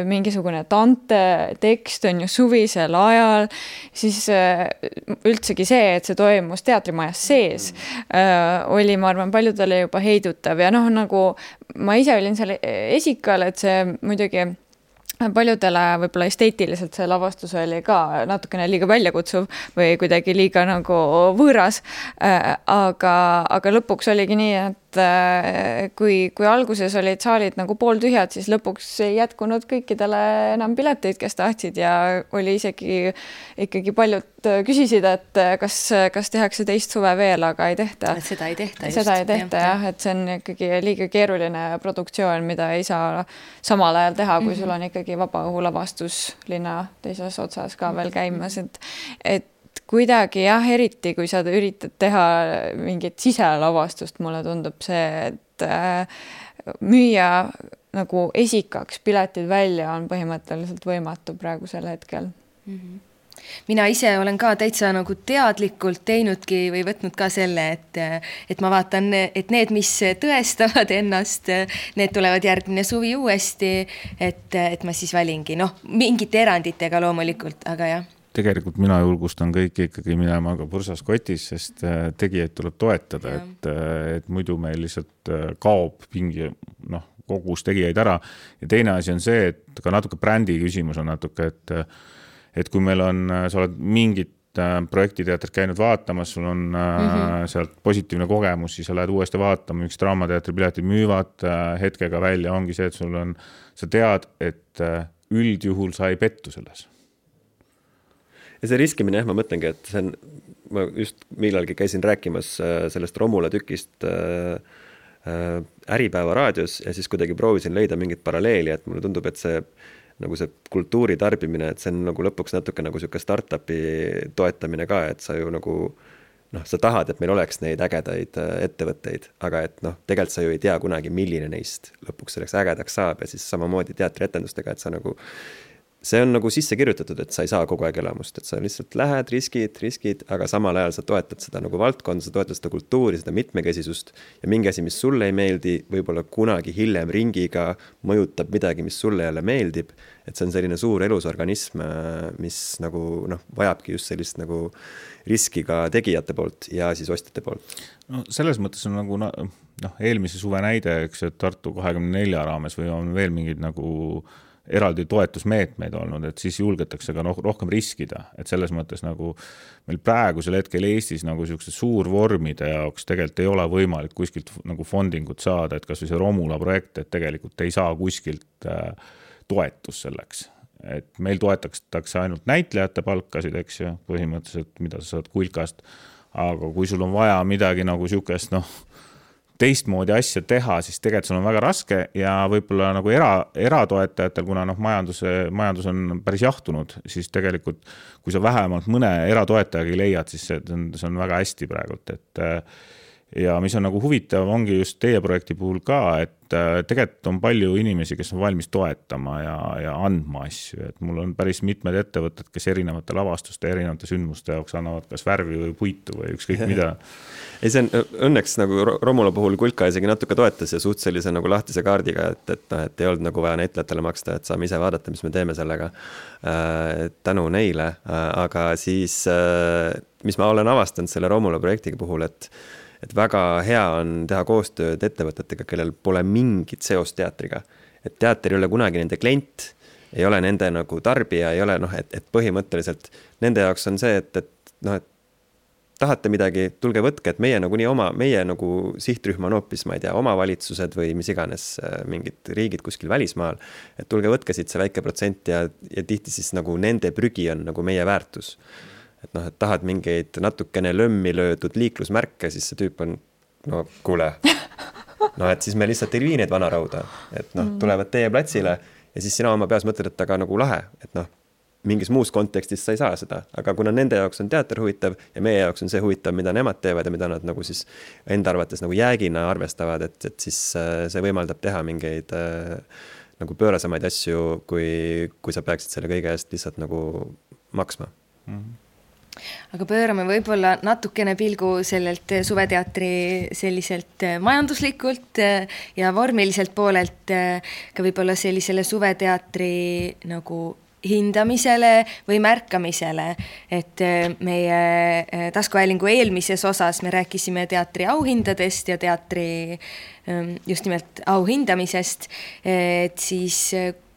mingisugune Dante tekst on ju suvisel ajal, siis üldsegi see, et see toimus teatrimajas sees, oli, ma arvan, paljudele juba heidutav ja nagu ma ise olin seal esikal, et see muidugi paljudele võib-olla esteetiliselt see lavastus oli ka natukene liiga väljakutsuv või kuidagi liiga nagu võõras, aga lõpuks oligi nii, et kui alguses olid saalid nagu pooltühjad, siis lõpuks ei jätkunud kõikidele enam pileteid, kes tahtsid ja oli ikkagi paljud küsisid, et kas tehakse teist suve veel, aga ei tehta. Seda ei tehta just. Seda ei tehta jah, et see on ikkagi liiga keeruline produktsioon, mida ei saa samal ajal teha, kui sul on ikkagi vabaõhulavastus linna teises otsas ka veel käimas, et kuidagi jah, eriti kui sa üritad teha mingit siselavastust, mulle tundub see, et müüa nagu esikaks piletid välja on põhimõtteliselt võimatu praegusel hetkel. Mina ise olen ka täitsa nagu teadlikult teinudki või võtnud ka selle, et ma vaatan, et need, mis tõestavad ennast, need tulevad järgmine suvi uuesti, et ma siis valingi, mingite eranditega loomulikult, aga jah. tegelikult mina julgustan kõiki ikkagi minema ka pursas kotis, sest tegijaid tuleb toetada, et muidu meil lihtsalt kaob pingi kogus tegijaid ära. Ja teine asi on see, et ka natuke brändi küsimus on natuke, et kui meil on, sa oled mingit projektiteatrit käinud vaatamas, sul on sealt positiivne kogemus, siis sa lähed uuesti vaatama, üks draamateatri piletid müüvad hetkega välja, ongi see, et sul on, sa tead, et üldjuhul sa ei pettu selles. Ja see riskimine, ma mõtlengi, et see on, ma just millalgi käisin rääkimas sellest Romula tükist Äripäeva raadios ja siis kuidagi proovisin leida mingit paralleeli, et mulle tundub, et see nagu see kultuuri tarbimine, et see on nagu lõpuks natuke nagu selline startupi toetamine ka, et sa ju nagu sa tahad, et meil oleks neid ägedaid ettevõtteid, aga et tegelikult sa ju ei tea kunagi, milline neist lõpuks selleks ägedaks saab ja siis samamoodi teatrietendustega, et sa nagu see on nagu sisse kirjutatud, et sa ei saa kogu aeg elamust, et sa lihtsalt lähed, riskid, aga samal ajal sa toetad seda nagu valdkonda, sa toetad seda kultuuri, seda mitmekesisust ja mingi asi, mis sulle ei meeldi, võib-olla kunagi hiljem ringiga mõjutab midagi, mis sulle jälle meeldib, et see on selline suur elusorganism, mis nagu vajabki just sellist nagu riski ka tegijate poolt ja siis ostjate poolt. No selles mõttes on nagu eelmise suve näide, eks, et Tartu 24 raames või on veel mingid nagu eraldi toetusmeetmeid olnud, et siis julgetakse ka rohkem riskida, et selles mõttes nagu meil praegusel hetkel Eestis nagu sellised suurvormide jaoks tegelikult ei ole võimalik kuskilt nagu fondingut saada, et kas või see Romula projekt, et tegelikult ei saa kuskilt toetus selleks. Et meil toetatakse ainult näitlejate palkasid, eks ju, põhimõtteliselt, mida sa saad Kulkast, aga kui sul on vaja midagi nagu siukest, teistmoodi asja teha, siis tegelikult sul on väga raske ja võib-olla nagu eratoetajatel, kuna majandus on päris jahtunud, siis tegelikult kui sa vähemalt mõne eratoetajagi leiad, siis see on väga hästi praegult, et ja mis on nagu huvitav, ongi just teie projekti puhul ka, et tegelikult on palju inimesi, kes on valmis toetama ja andma asju, et mul on päris mitmed ettevõtted, kes erinevate lavastuste, erinevate sündmuste jaoks annavad kas värvi või puitu või ükskõik mida. Ei, see on õnneks nagu Romula puhul Kulka isegi natuke toetas ja suht sellise nagu lahtise kaardiga, et ei olnud nagu vaja näitlejatele maksta, et saame ise vaadata, mis me teeme sellega tänu neile, aga siis mis ma olen avastanud selle Romula projektiga puhul, et väga hea on teha koostööd ettevõtetega, kellel pole mingit seost teatriga. Et teater ei ole kunagi nende klient, ei ole nende nagu tarbija, ei ole, et põhimõtteliselt nende jaoks on see, et tahate midagi, tulge võtke, et meie nagu sihtrühma on hoopis, ma ei tea, omavalitsused või mis iganes mingid riigid kuskil välismaal, et tulge võtke siit see väike protsent ja tihti siis nagu nende prügi on nagu meie väärtus. Et tahad mingeid natukene lömmi löödud liiklusmärke, siis see tüüp on, kuule, et siis me lihtsalt ei vii neid vanarauda, et tulevad teie platsile ja siis sina oma peas mõtled, et aga nagu lahe, et mingis muus kontekstis sa ei saa seda, aga kuna nende jaoks on teater huvitav ja meie jaoks on see huvitav, mida nemad teevad ja mida nad nagu siis enda arvates nagu jäägina arvestavad, et siis see võimaldab teha mingeid nagu pöörasemaid asju, kui sa peaksid selle kõige eest lihtsalt nagu maksma. Aga pöörame võib-olla natukene pilgu sellelt suveteatri selliselt majanduslikult ja vormiliselt poolelt ka võib-olla sellisele suveteatri nagu hindamisele või märkamisele, et meie taskuhäälingu eelmises osas me rääkisime teatri auhindadest ja teatri just nimelt auhindamisest, et siis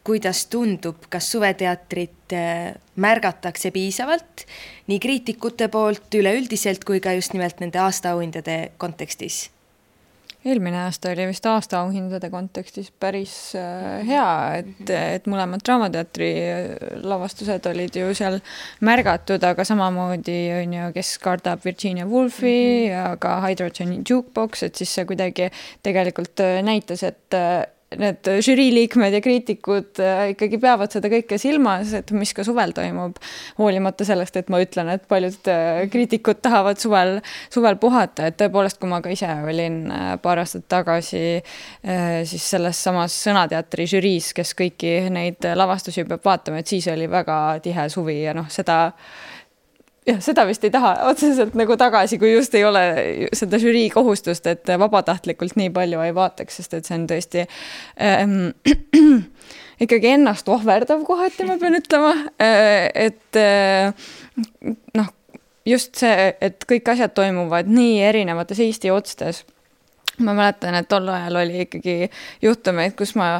kuidas tundub, kas suveteatrit märgatakse piisavalt nii kriitikute poolt üleüldiselt kui ka just nimelt nende aastaauhindade kontekstis? Eelmine aasta oli vist aastaauhindade kontekstis päris hea, et mõlemad draamateatri lavastused olid ju seal märgatud, aga samamoodi on ju Kes kardab Virginia Woolfi ja ka Hydrogen Jukebox, et siis see kuidagi tegelikult näitas, et need žüriiliikmed ja kriitikud ikkagi peavad seda kõike silmas, et mis ka suvel toimub, hoolimata sellest, et ma ütlen, et paljud kriitikud tahavad suvel puhata, et tõepoolest, kui ma ka ise olin paar aastat tagasi siis selles samas Sõnateatri žüriis, kes kõiki neid lavastusi peab vaatama, et siis oli väga tihe suvi ja seda jah, seda vist ei taha otseselt nagu tagasi, kui just ei ole seda žürii kohustust, et vabatahtlikult nii palju ei vaataks, sest et see on tõesti ikkagi ennast ohverdav kohati, ma pean ütlema, et noh, just see, et kõik asjad toimuvad nii erinevates Eesti otstes. Ma mäletan, et tol ajal oli ikkagi juhtumeid, kus ma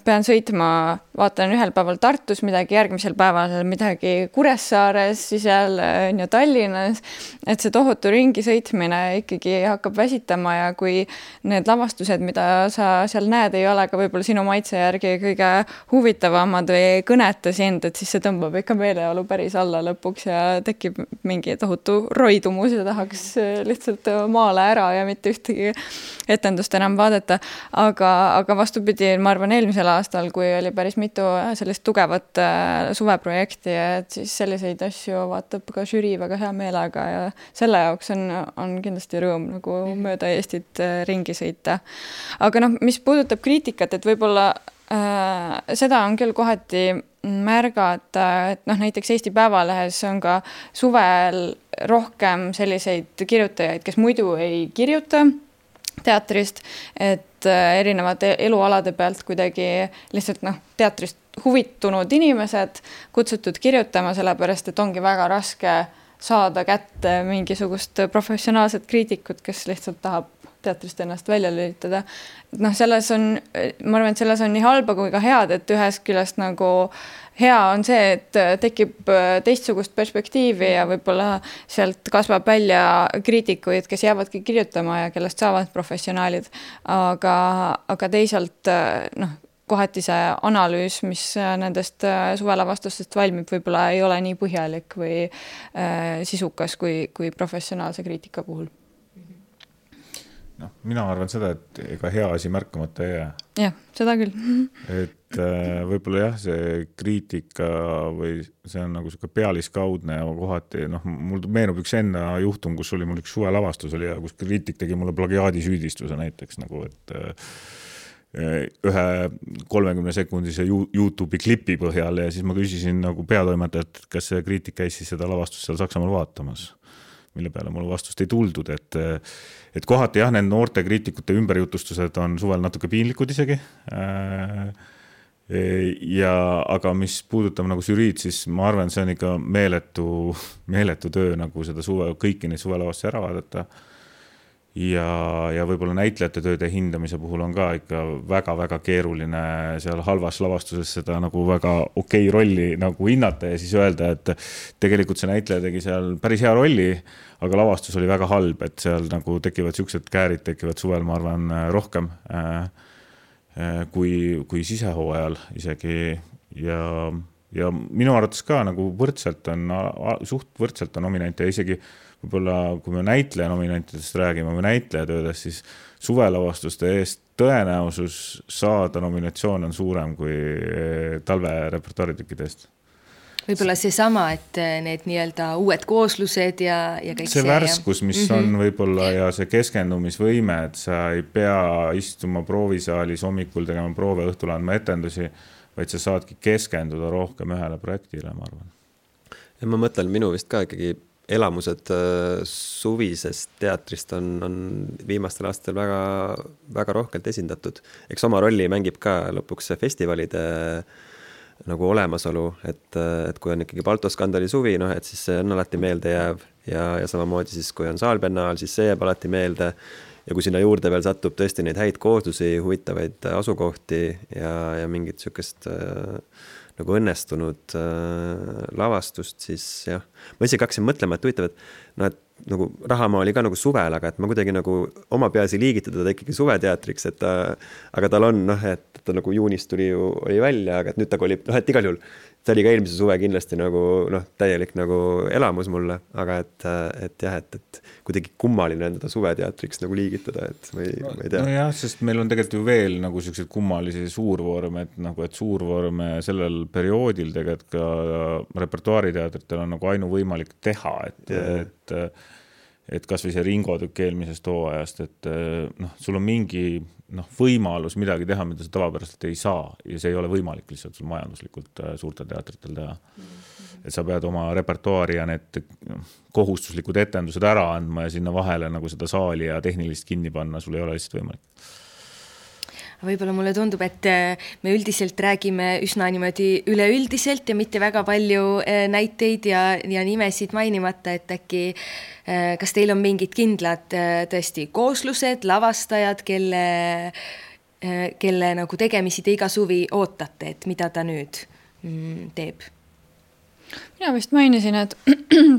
pean sõitma, vaatan ühel päeval Tartus midagi, järgmisel päeval midagi Kuressaares, siis jälle Tallinnas, et see tohutu ringi sõitmine ikkagi hakkab väsitama ja kui need lavastused, mida sa seal näed, ei ole ka võib-olla sinu maitse järgi kõige huvitavamad või ei kõneta sind, et siis see tõmbab ikka meeleolu päris alla lõpuks ja tekib mingi tohutu roidumus ja tahaks lihtsalt maale ära ja mitte ühtegi etendust enam vaadata. Aga vastupidi, ma arvan, eelmisel aastal, kui oli päris mitu sellist tugevat suveprojekti, et siis selliseid asju vaatab ka žürii väga hea meelega ja selle jaoks on kindlasti rõõm nagu mööda Eestit ringi sõita. Aga mis puudutab kriitikat, et võib-olla seda on küll kohati märgata, et näiteks Eesti Päevalehes on ka suvel rohkem selliseid kirjutajaid, kes muidu ei kirjuta teatrist, et erinevate elualade pealt kuidagi lihtsalt teatrist huvitunud inimesed kutsutud kirjutama, sellepärast, et ongi väga raske saada kätte mingisugust professionaalset kriitikut, kes lihtsalt tahab teatrist ennast välja lülitada. Selles on, ma arvan, et selles on nii halba kui ka head, et ühest küljest nagu hea on see, et tekib teistsugust perspektiivi ja võib-olla sealt kasvab välja kriitikuid, kes jäävadki kirjutama ja kellest saavad professionaalid. Aga teisalt kohati see analüüs, mis nendest suvelavastustest valmib, võib-olla ei ole nii põhjalik või sisukas kui professionaalse kriitika puhul. Mina arvan seda, et ega hea asi märkamata ei jää. Jah, seda küll. Et võib-olla jah, see kriitika või see on nagu selline pealiskaudne ja kohati, mul meenub üks enda juhtum, kus oli mul üks suvelavastus oli ja kus kriitik tegi mulle plagiaadisüüdistuse näiteks, et ühe 30-sekundise YouTube'i klipi põhjal ja siis ma küsisin nagu peatoimetajat, kas see kriitik käis siis seda lavastust seal Saksamaal vaatamas, mille peale mul vastust ei tuldud, et kohati jah, need noorte kriitikute ümberjutustused on suvel natuke piinlikud isegi. Aga mis puudutab nagu žüriid, siis ma arvan, see on ikka meeletu töö nagu seda kõiki neid suvelavastusi ära vaadata. Ja võib-olla näitlejate tööde hindamise puhul on ka ikka väga-väga keeruline seal halvas lavastuses seda nagu väga okei rolli nagu hinnata ja siis öelda, et tegelikult see näitleja tegi seal päris hea rolli, aga lavastus oli väga halb, et seal nagu tekivad siuksed käärid, tekivad suvel, ma arvan, rohkem kui sisehooajal isegi ja minu arvates ka nagu suht võrdselt on nominante ja isegi võib-olla, kui me näitleja nominantidest räägime või näitleja töödest, siis suvelavastuste eest tõenäosus saada nominatsioon on suurem kui talve repertuaaritükkidest. Võib-olla see sama, et need nii-öelda uued kooslused ja kõik see. See värskus, mis on võib-olla ja see keskendumisvõime, et sa ei pea istuma proovisaalis hommikul tegema proove, õhtul andma etendusi, vaid sa saadki keskenduda rohkem ühele projektile, ma arvan. Ja ma mõtlen, minu vist ka ikkagi elamused suvisest teatrist on viimastel aastatel väga, väga rohkelt esindatud. Eks oma rolli mängib ka lõpuks festivalide nagu olemasolu, et kui on ikkagi Baltoskandali suvi, et siis see on alati meelde jääv ja samamoodi siis, kui on Saalbiennaal, siis see jääb alati meelde ja kui sinna juurde veel satub tõesti neid häid kooslusi, huvitavaid asukohti ja mingit sükest nagu õnnestunud lavastust, siis jah. Ma isegi hakkasin mõtlema, et huvitav, et nagu Rahamaa oli ka nagu suvel, aga et ma kuidagi nagu oma peas ei liigitada ta ikkagi suveteatriks, aga tal on, et ta nagu juunis oli välja, aga et nüüd ta oli, et igal juhul see oli ka eelmise suve kindlasti nagu täielik nagu elamus mulle, aga et jah, et kuidagi kummaline on teda suveteatriks nagu liigitada, et ma ei tea. No jah, sest meil on tegelikult ju veel nagu sellised kummalisi suurvorme, et suurvorme sellel perioodil tegelikult ka repertuaariteatritel on nagu ainuvõimalik teha, et kas või see Ringo-tükk eelmisest hooajast, et sul on mingi võimalus midagi teha, mida sa tavapäraselt ei saa ja see ei ole võimalik lihtsalt sul majanduslikult suurtel teatritel teha. Et sa pead oma repertuaari ja need kohustuslikud etendused ära andma ja sinna vahele nagu seda saali ja tehnilist kinni panna, sul ei ole lihtsalt võimalik. Võib-olla mulle tundub, et me üldiselt räägime üsna niimoodi üleüldiselt ja mitte väga palju näiteid ja nimesid mainimata, et äkki kas teil on mingid kindlad tõesti kooslused, lavastajad, kelle nagu tegemisi te iga suvi ootate, et mida ta nüüd teeb? Mina vist mainisin, et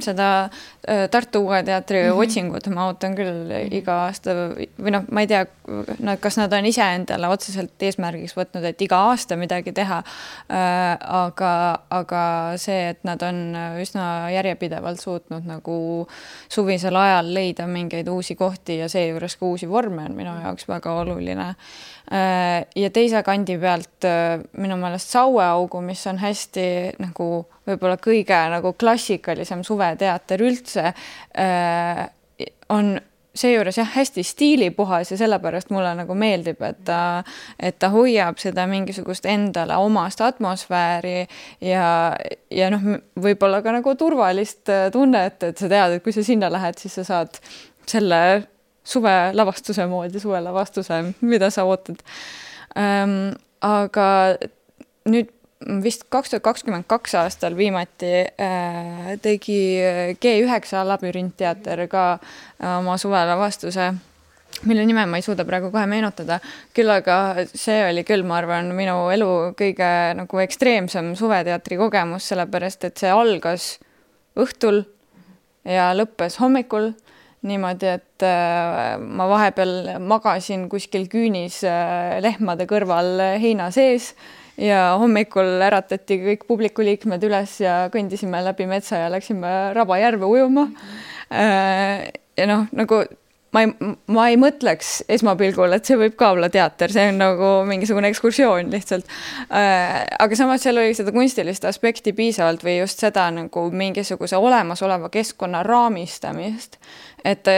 seda Tartu Uue Teatri otsingut ma ootan küll iga aasta või ma ei tea, kas nad on ise endale otseselt eesmärgiks võtnud, et iga aasta midagi teha, aga see, et nad on üsna järjepidevalt suutnud nagu suvisel ajal leida mingeid uusi kohti ja seejuures ka uusi vorme on minu jaoks väga oluline. Ja teise kandi pealt minu meelest Saueaugu, mis on hästi nagu võib-olla kõige nagu klassikalisem suveteater üldse, on seejuures hästi stiilipuhas ja sellepärast mulle nagu meeldib, et ta hoiab seda mingisugust endale omast atmosfääri ja võib-olla ka nagu turvalist tunnet, et sa tead, et kui sa sinna lähed, siis sa saad selle suvelavastuse moodi, suvelavastuse, mida sa ootad. Aga nüüd vist 2022 aastal viimati tegi G9 labürintteater ka oma suvelavastuse, mille nime ma ei suuda praegu kohe meenutada, küll aga see oli küll, ma arvan, minu elu kõige nagu ekstreemsem suveteatri kogemus, sellepärast, et see algas õhtul ja lõppes hommikul niimoodi, et ma vahepeal magasin kuskil küünis lehmade kõrval heina sees ja hommikul äratati kõik publikuliikmed üles ja kõndisime läbi metsa ja läksime Rabajärve ujuma. Ja nagu ma ei mõtleks esmapilgul, et see võib ka olla teater, see on nagu mingisugune ekskursioon lihtsalt. Aga samas seal oli seda kunstilist aspekti piisavalt või just seda nagu mingisuguse olemasoleva keskkonna raamistamist, et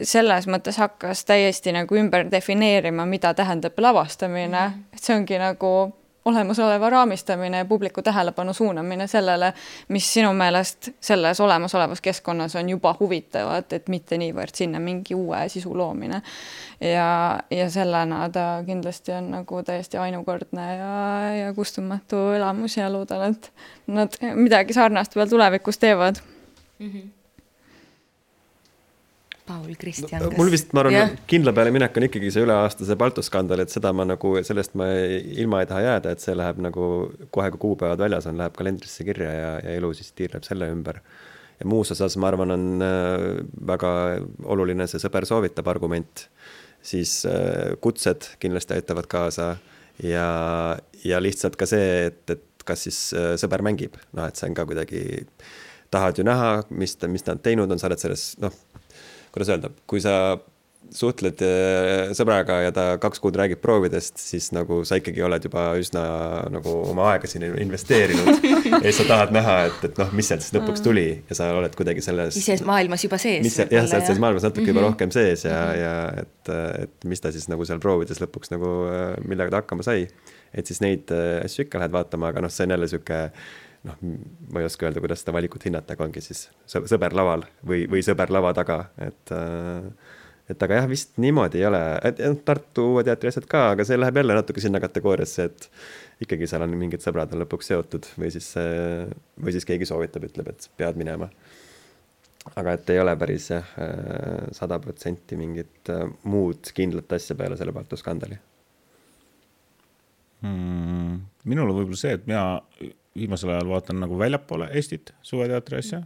selles mõttes hakkas täiesti nagu ümber defineerima, mida tähendab lavastamine. Et see ongi nagu olemasoleva raamistamine ja publiku tähelepanu suunamine sellele, mis sinu meelest selles olemasolevas keskkonnas on juba huvitavad, et mitte niivõrd sinna mingi uue sisu loomine. Ja sellena ta kindlasti on nagu täiesti ainukordne ja kustumatu elamus ja loodan, et nad midagi sarnast veel tulevikus teevad. Paul, Kristjan. Mul vist, ma arvan, kindla peale minek on ikkagi see üleaastase Baltoskandal, et seda ma nagu, sellest ma ilma ei taha jääda, et see läheb nagu kohe, kui kuupäevad väljas on, läheb kalendrisse kirja ja elu siis tiirleb selle ümber. Ja muus osas, ma arvan, on väga oluline see sõber soovitab argument, siis kutsed kindlasti aitavad kaasa ja lihtsalt ka see, et kas siis sõber mängib. Et see on ka kuidagi, tahad ju näha, mis nad teinud on, sa oled selles, kuidas öelda, kui sa suhtled sõbraga ja ta 2 kuud räägib proovidest, siis nagu sa ikkagi oled juba üsna nagu oma aega siin investeerinud ja siis sa tahad näha, et mis sealt siis lõpuks tuli ja sa oled kuidagi selles ise maailmas juba sees. Jah, sa oled selles maailmas natuke juba rohkem sees ja et mis ta siis nagu seal proovides lõpuks nagu millega ta hakkama sai. Et siis neid asju ikka lähed vaatama, aga see on jälle süke ma ei oska öelda, kuidas seda valikut hinnata, aga ongi siis sõber laval või sõber lava taga, et aga jah, vist niimoodi ei ole, et Tartu Uue Teatri asjad ka, aga see läheb jälle natuke sinna kategooriasse, et ikkagi seal on mingid sõbrad on lõpuks seotud või siis keegi soovitab, ütleb, et pead minema. Aga et ei ole päris 100% mingit muud kindlat asja peale selle Baltoskandali. Minul on võib-olla see, et mina viimasel ajal vaatan nagu väljapoole Eestit suveteatri asja.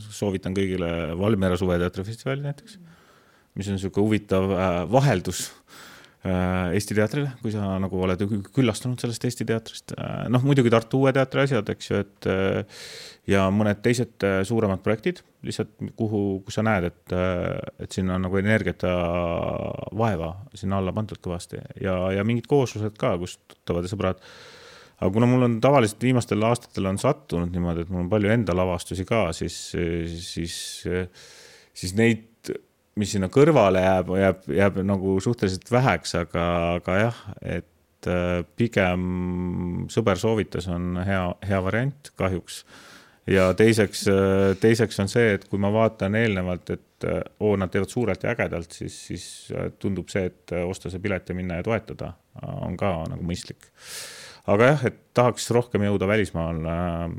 Soovitan kõigile Valmiera suveteatrifestivali näiteks, mis on selline huvitav vaheldus Eesti teatrile, kui sa nagu oled küllastanud sellest Eesti teatrist. Muidugi Tartu Uue Teatri asjad, eks ju, ja mõned teised suuremad projektid, lihtsalt kus sa näed, et sinna on nagu energiat ja vaeva sinna alla pandud kõvasti ja mingid kooslused ka, kus tuttavad ja sõbrad. Aga kuna mul on tavaliselt viimastel aastatel on sattunud niimoodi, et mul on palju enda lavastusi ka, siis neid mis sinna kõrvale jääb nagu suhteliselt väheks, aga jah, et pigem sõber soovitas on hea variant kahjuks. Ja teiseks on see, et kui ma vaatan eelnevalt, et nad teevad suurelt ja ägedalt, siis tundub see, et osta see pilet ja minna ja toetada on ka nagu mõistlik. Aga jah, et tahaks rohkem jõuda välismaal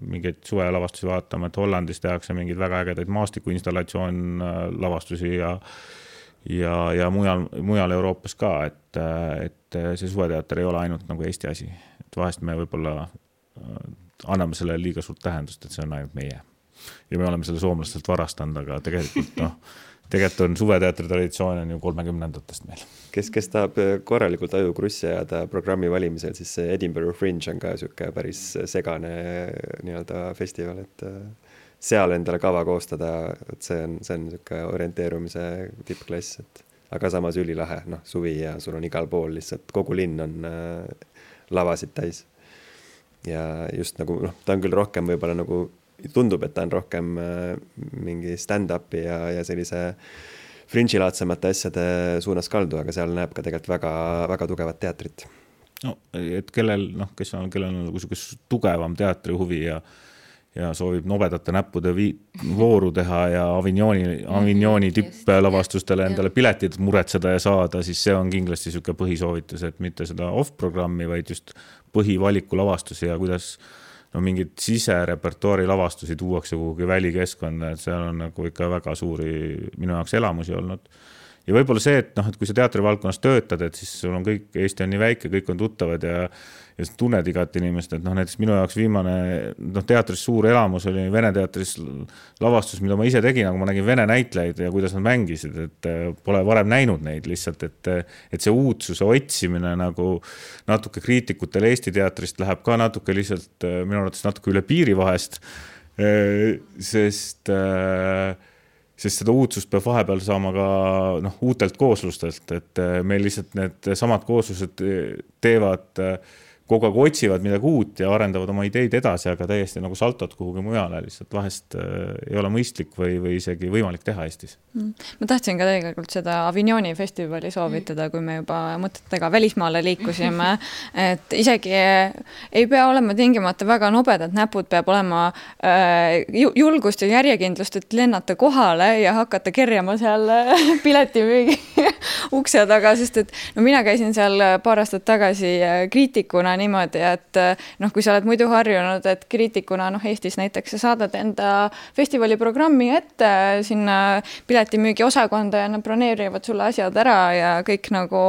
mingeid suvelavastusi vaatama, et Hollandis tehakse mingeid väga ägedaid maastikuinstallatsioon lavastusi ja mujal Euroopas ka, et see suveteater ei ole ainult nagu Eesti asi. Et vahest me võib-olla anname selle liiga suurt tähendust, et see on ainult meie. Ja me oleme selle soomlastelt varastanud, aga tegelikult on suveteatri traditsioon on ju 30-ndatest meil. Kes tahab korralikult ajukrussi ajada programmi valimisel, siis see Edinburgh Fringe on ka siuke päris segane nii-öelda festival, et seal endale kava koostada, et see on siuke orienteerumise tippklass, aga samas ülilahe, suvi ja sul on igal pool lihtsalt, kogu linn on lavasid täis. Ja just nagu, ta on küll rohkem võib-olla nagu tundub, et ta on rohkem mingi stand-upi ja sellise fringe-laadsemate asjade suunas kaldu, aga seal näeb ka tegelikult väga, väga tugevat teatrit. No, et kellel on nagu tugevam teatrihuvi ja soovib nobedate näppude vooru teha ja Avignoni tipplavastustele endale piletid muretseda ja saada, siis see on kindlasti siuke põhisoovitus, et mitte seda off-programmi, vaid just põhivaliku lavastusi ja kuidas mingid siserepertuaari lavastusi tuuakse kuhugi välikeskkonda, et seal on nagu ikka väga suuri minu jaoks elamusi olnud. Ja võib-olla see, et kui sa teatrivaldkonnas töötad, et siis sul on kõik, Eesti on nii väike, kõik on tuttavad ja tunned igat inimest, et näiteks minu jaoks viimane teatris suur elamus oli Vene teatris lavastus, mida ma ise tegin, aga ma nägin Vene näitlejaid ja kuidas nad mängisid, et pole varem näinud neid lihtsalt, et see uudsuse otsimine nagu natuke kriitikutel Eesti teatrist läheb ka natuke lihtsalt minu arvates natuke üle piiri vahest, sest seda uudsust peab vahepeal saama ka uutelt kooslustelt, et meil lihtsalt need samad kooslused teevad kogu aeg otsivad midagi uut ja arendavad oma ideid edasi, aga täiesti nagu saltod kuhugi mujale lihtsalt vahest ei ole mõistlik või isegi võimalik teha Eestis. Ma tahtsin ka tegelikult seda Avignoni festivali soovitada, kui me juba mõtetega välismaale liikusime, et isegi ei pea olema tingimata väga nobedad näpud, peab olema julgust ja järjekindlust, et lennata kohale ja hakata kerjama seal piletimüügi ukse taga, sest et mina käisin seal paar aastat tagasi kriitikuna niimoodi, et kui sa oled muidu harjunud, et kriitikuna Eestis näiteks sa saadad enda festivali programmi ette sinna piletimüügi osakonda ja nad broneerivad sulle asjad ära ja kõik nagu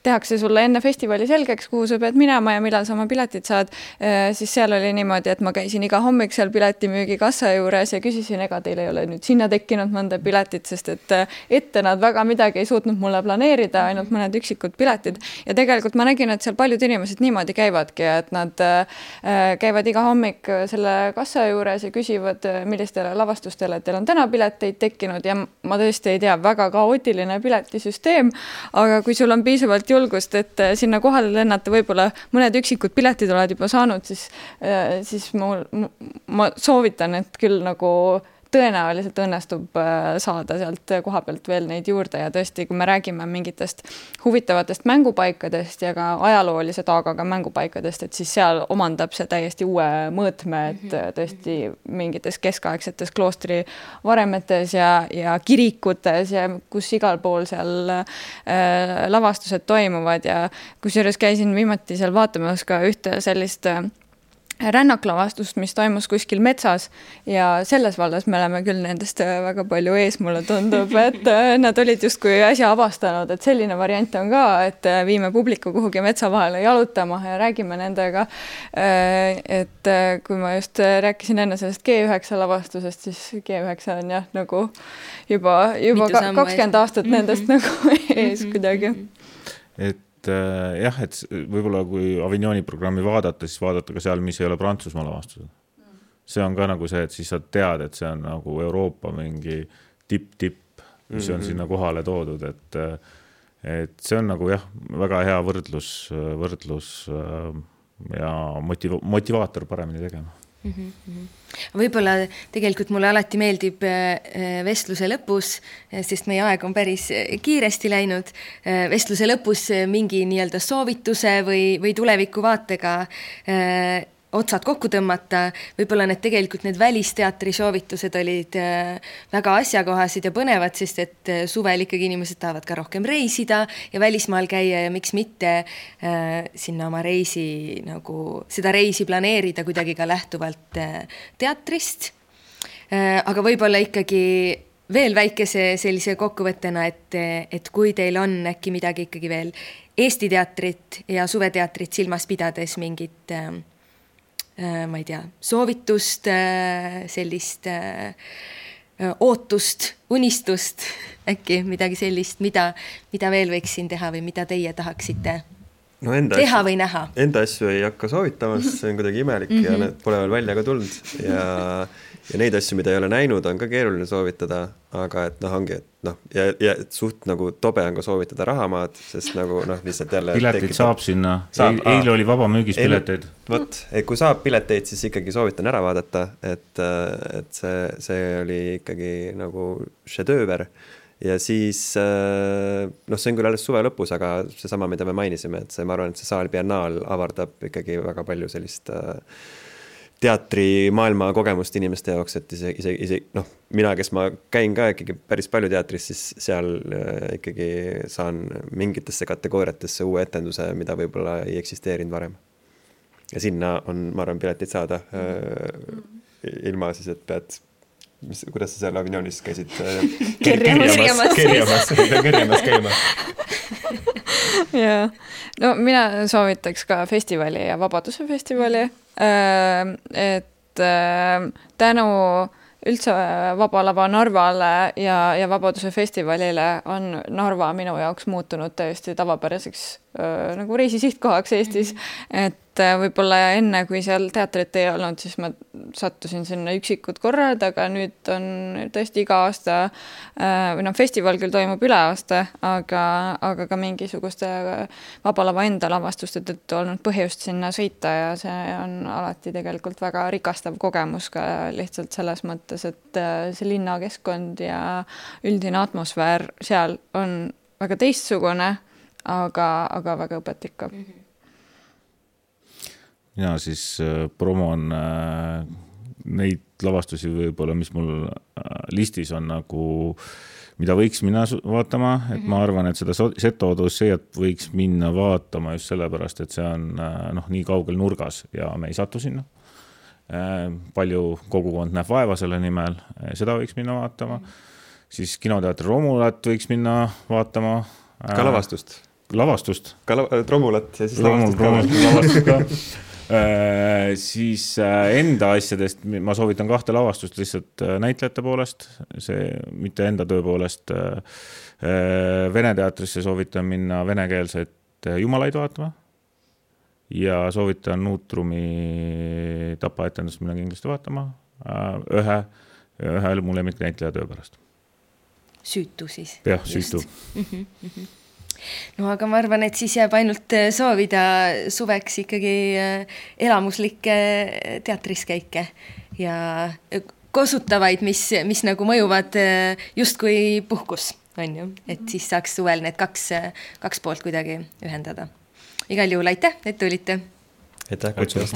tehakse sulle enne festivali selgeks, kuhu sa pead minema ja millal sa oma piletid saad, siis seal oli niimoodi, et ma käisin iga hommik seal piletimüügi kassa juures ja küsisin, ega teil ei ole nüüd sinna tekkinud mõnda piletit, sest et ette nad väga midagi ei suutnud mulle planeerida, ainult mõned üksikud piletid ja tegelikult ma nägin, et seal paljud inimesed niimoodi käivadki, et nad käivad iga hommik selle kassa juures ja küsivad, millistele lavastustele teil on täna pileteid tekkinud ja ma tõesti ei tea, väga kaootiline piletisüsteem, aga kui sul on piisavalt julgust, et sinna kohale lennata võib-olla mõned üksikud piletid oled juba saanud, siis ma soovitan, et küll nagu tõenäoliselt õnnestub saada sealt koha pealt veel neid juurde ja tõesti, kui me räägime mingitest huvitavatest mängupaikadest ja ka ajaloolise taagaga mängupaikadest, et siis seal omandab see täiesti uue mõõtme, et tõesti mingites keskaegsetes kloostri varemetes ja kirikutes ja kus igal pool seal lavastused toimuvad ja kusjuures käisin viimati seal vaatamas ka ühte sellist rännaklavastust, mis toimus kuskil metsas ja selles vallas me oleme küll nendest väga palju ees, mulle tundub, et nad olid justkui äsja avastanud, et selline variant on ka, et viime publiku kuhugi metsa vahele jalutama ja räägime nendega. Et kui ma just rääkisin enne sellest G9 lavastusest, siis G9 on jah nagu juba 20 aastat nendest nagu ees kuidagi. Et jah, et võib-olla kui Avignoni programmi vaadata, siis vaadata ka seal, mis ei ole Prantsusmaa lavastused. See on ka nagu see, et siis sa tead, et see on nagu Euroopa mingi tipp, mis on sinna kohale toodud, et see on nagu jah, väga hea võrdlus ja motivaator paremini tegema. Võib-olla tegelikult mulle alati meeldib vestluse lõpus, sest meie aeg on päris kiiresti läinud, vestluse lõpus mingi nii-öelda soovituse või tulevikuvaatega otsad kokku tõmmata. Võib-olla tegelikult need välisteatri soovitused olid väga asjakohased ja põnevad, sest et suvel ikkagi inimesed tahavad ka rohkem reisida ja välismaal käia ja miks mitte sinna oma reisi, nagu seda reisi planeerida kuidagi ka lähtuvalt teatrist. Aga võib-olla ikkagi veel väikese sellise kokkuvõttena, et kui teil on äkki midagi ikkagi veel Eesti teatrit ja suveteatrit silmas pidades mingit ma ei tea, soovitust, sellist ootust, unistust, äkki midagi sellist, mida veel võiks siin teha või mida teie tahaksite teha või näha? Enda asju ei hakka soovitamas, see on kuidagi imelik ja need pole veel välja ka tulnud ja neid asju, mida ei ole näinud, on ka keeruline soovitada, aga et ongi, et ja suht nagu tobe on ka soovitada rahamaad, sest nagu lihtsalt jälle piletid saab sinna, eile oli vaba müügis pileteid. Vot, kui saab pileteid, siis ikkagi soovitan ära vaadata, et see oli ikkagi nagu šedööver ja siis see on küll alles suve lõpus, aga seesama, mida me mainisime, et ma arvan, et see saal biennaal avardab ikkagi väga palju sellist teatri maailma kogemust inimeste jaoks, et isegi mina, kes ma käin ka ikkagi päris palju teatris, siis seal ikkagi saan mingitesse kategooriatesse uue etenduse, mida võib-olla ei eksisteerinud varem. Ja sinna on, ma arvan, piletid saada ilma siis, et pead, kuidas sa seal Avignonis käisid? Kerjamas käima. Jaa, no mina soovitaks ka festivali ja Vabaduse festivali, et tänu üldse Vaba Lava Narvale ja Vabaduse festivalile on Narva minu jaoks muutunud täiesti tavapäraseks nagu reisisihtkohaks Eestis, et võib-olla enne, kui seal teatrit ei olnud, siis ma sattusin sinna üksikud korrad, aga nüüd on tõesti iga aasta, või festival küll toimub üle aasta, aga ka mingisuguste Vaba Lava enda lavastuste tõttu olnud põhjust sinna sõita ja see on alati tegelikult väga rikastav kogemus ka lihtsalt selles mõttes, et see linnakeskkond ja üldine atmosfäär seal on väga teistsugune, aga väga õpetlik ka. Ja siis promon neid lavastusi võib-olla, mis mul listis on nagu, mida võiks minna vaatama, et ma arvan, et seda Seto Odysseat võiks minna vaatama just sellepärast, et see on nii kaugel nurgas ja me ei satu sinna. Palju kogukond näeb vaeva selle nimel, seda võiks minna vaatama. Siis kinoteatri Romulat võiks minna vaatama. Ka lavastust. Lavastust. Ka Romulat ja siis lavastust ka. Siis enda asjadest ma soovitan 2 lavastust lihtsalt näitlejate poolest, see mitte enda töö poolest. Vene teatrisse soovitan minna venekeelset Jumalaid vaatama ja soovitan Nuutrumi tapaetendust minna kindlasti vaatama ühe mu lemmiknäitleja töö pärast. Süütu siis. Jah, süütu. No aga ma arvan, et siis jääb ainult soovida suveks ikkagi elamuslikke teatriskäike ja kosutavaid, mis nagu mõjuvad just kui puhkus, on ju, et siis saaks suvel need kaks poolt kuidagi ühendada. Igal juhul aitäh, et tulite. Aitäh. Aitäh.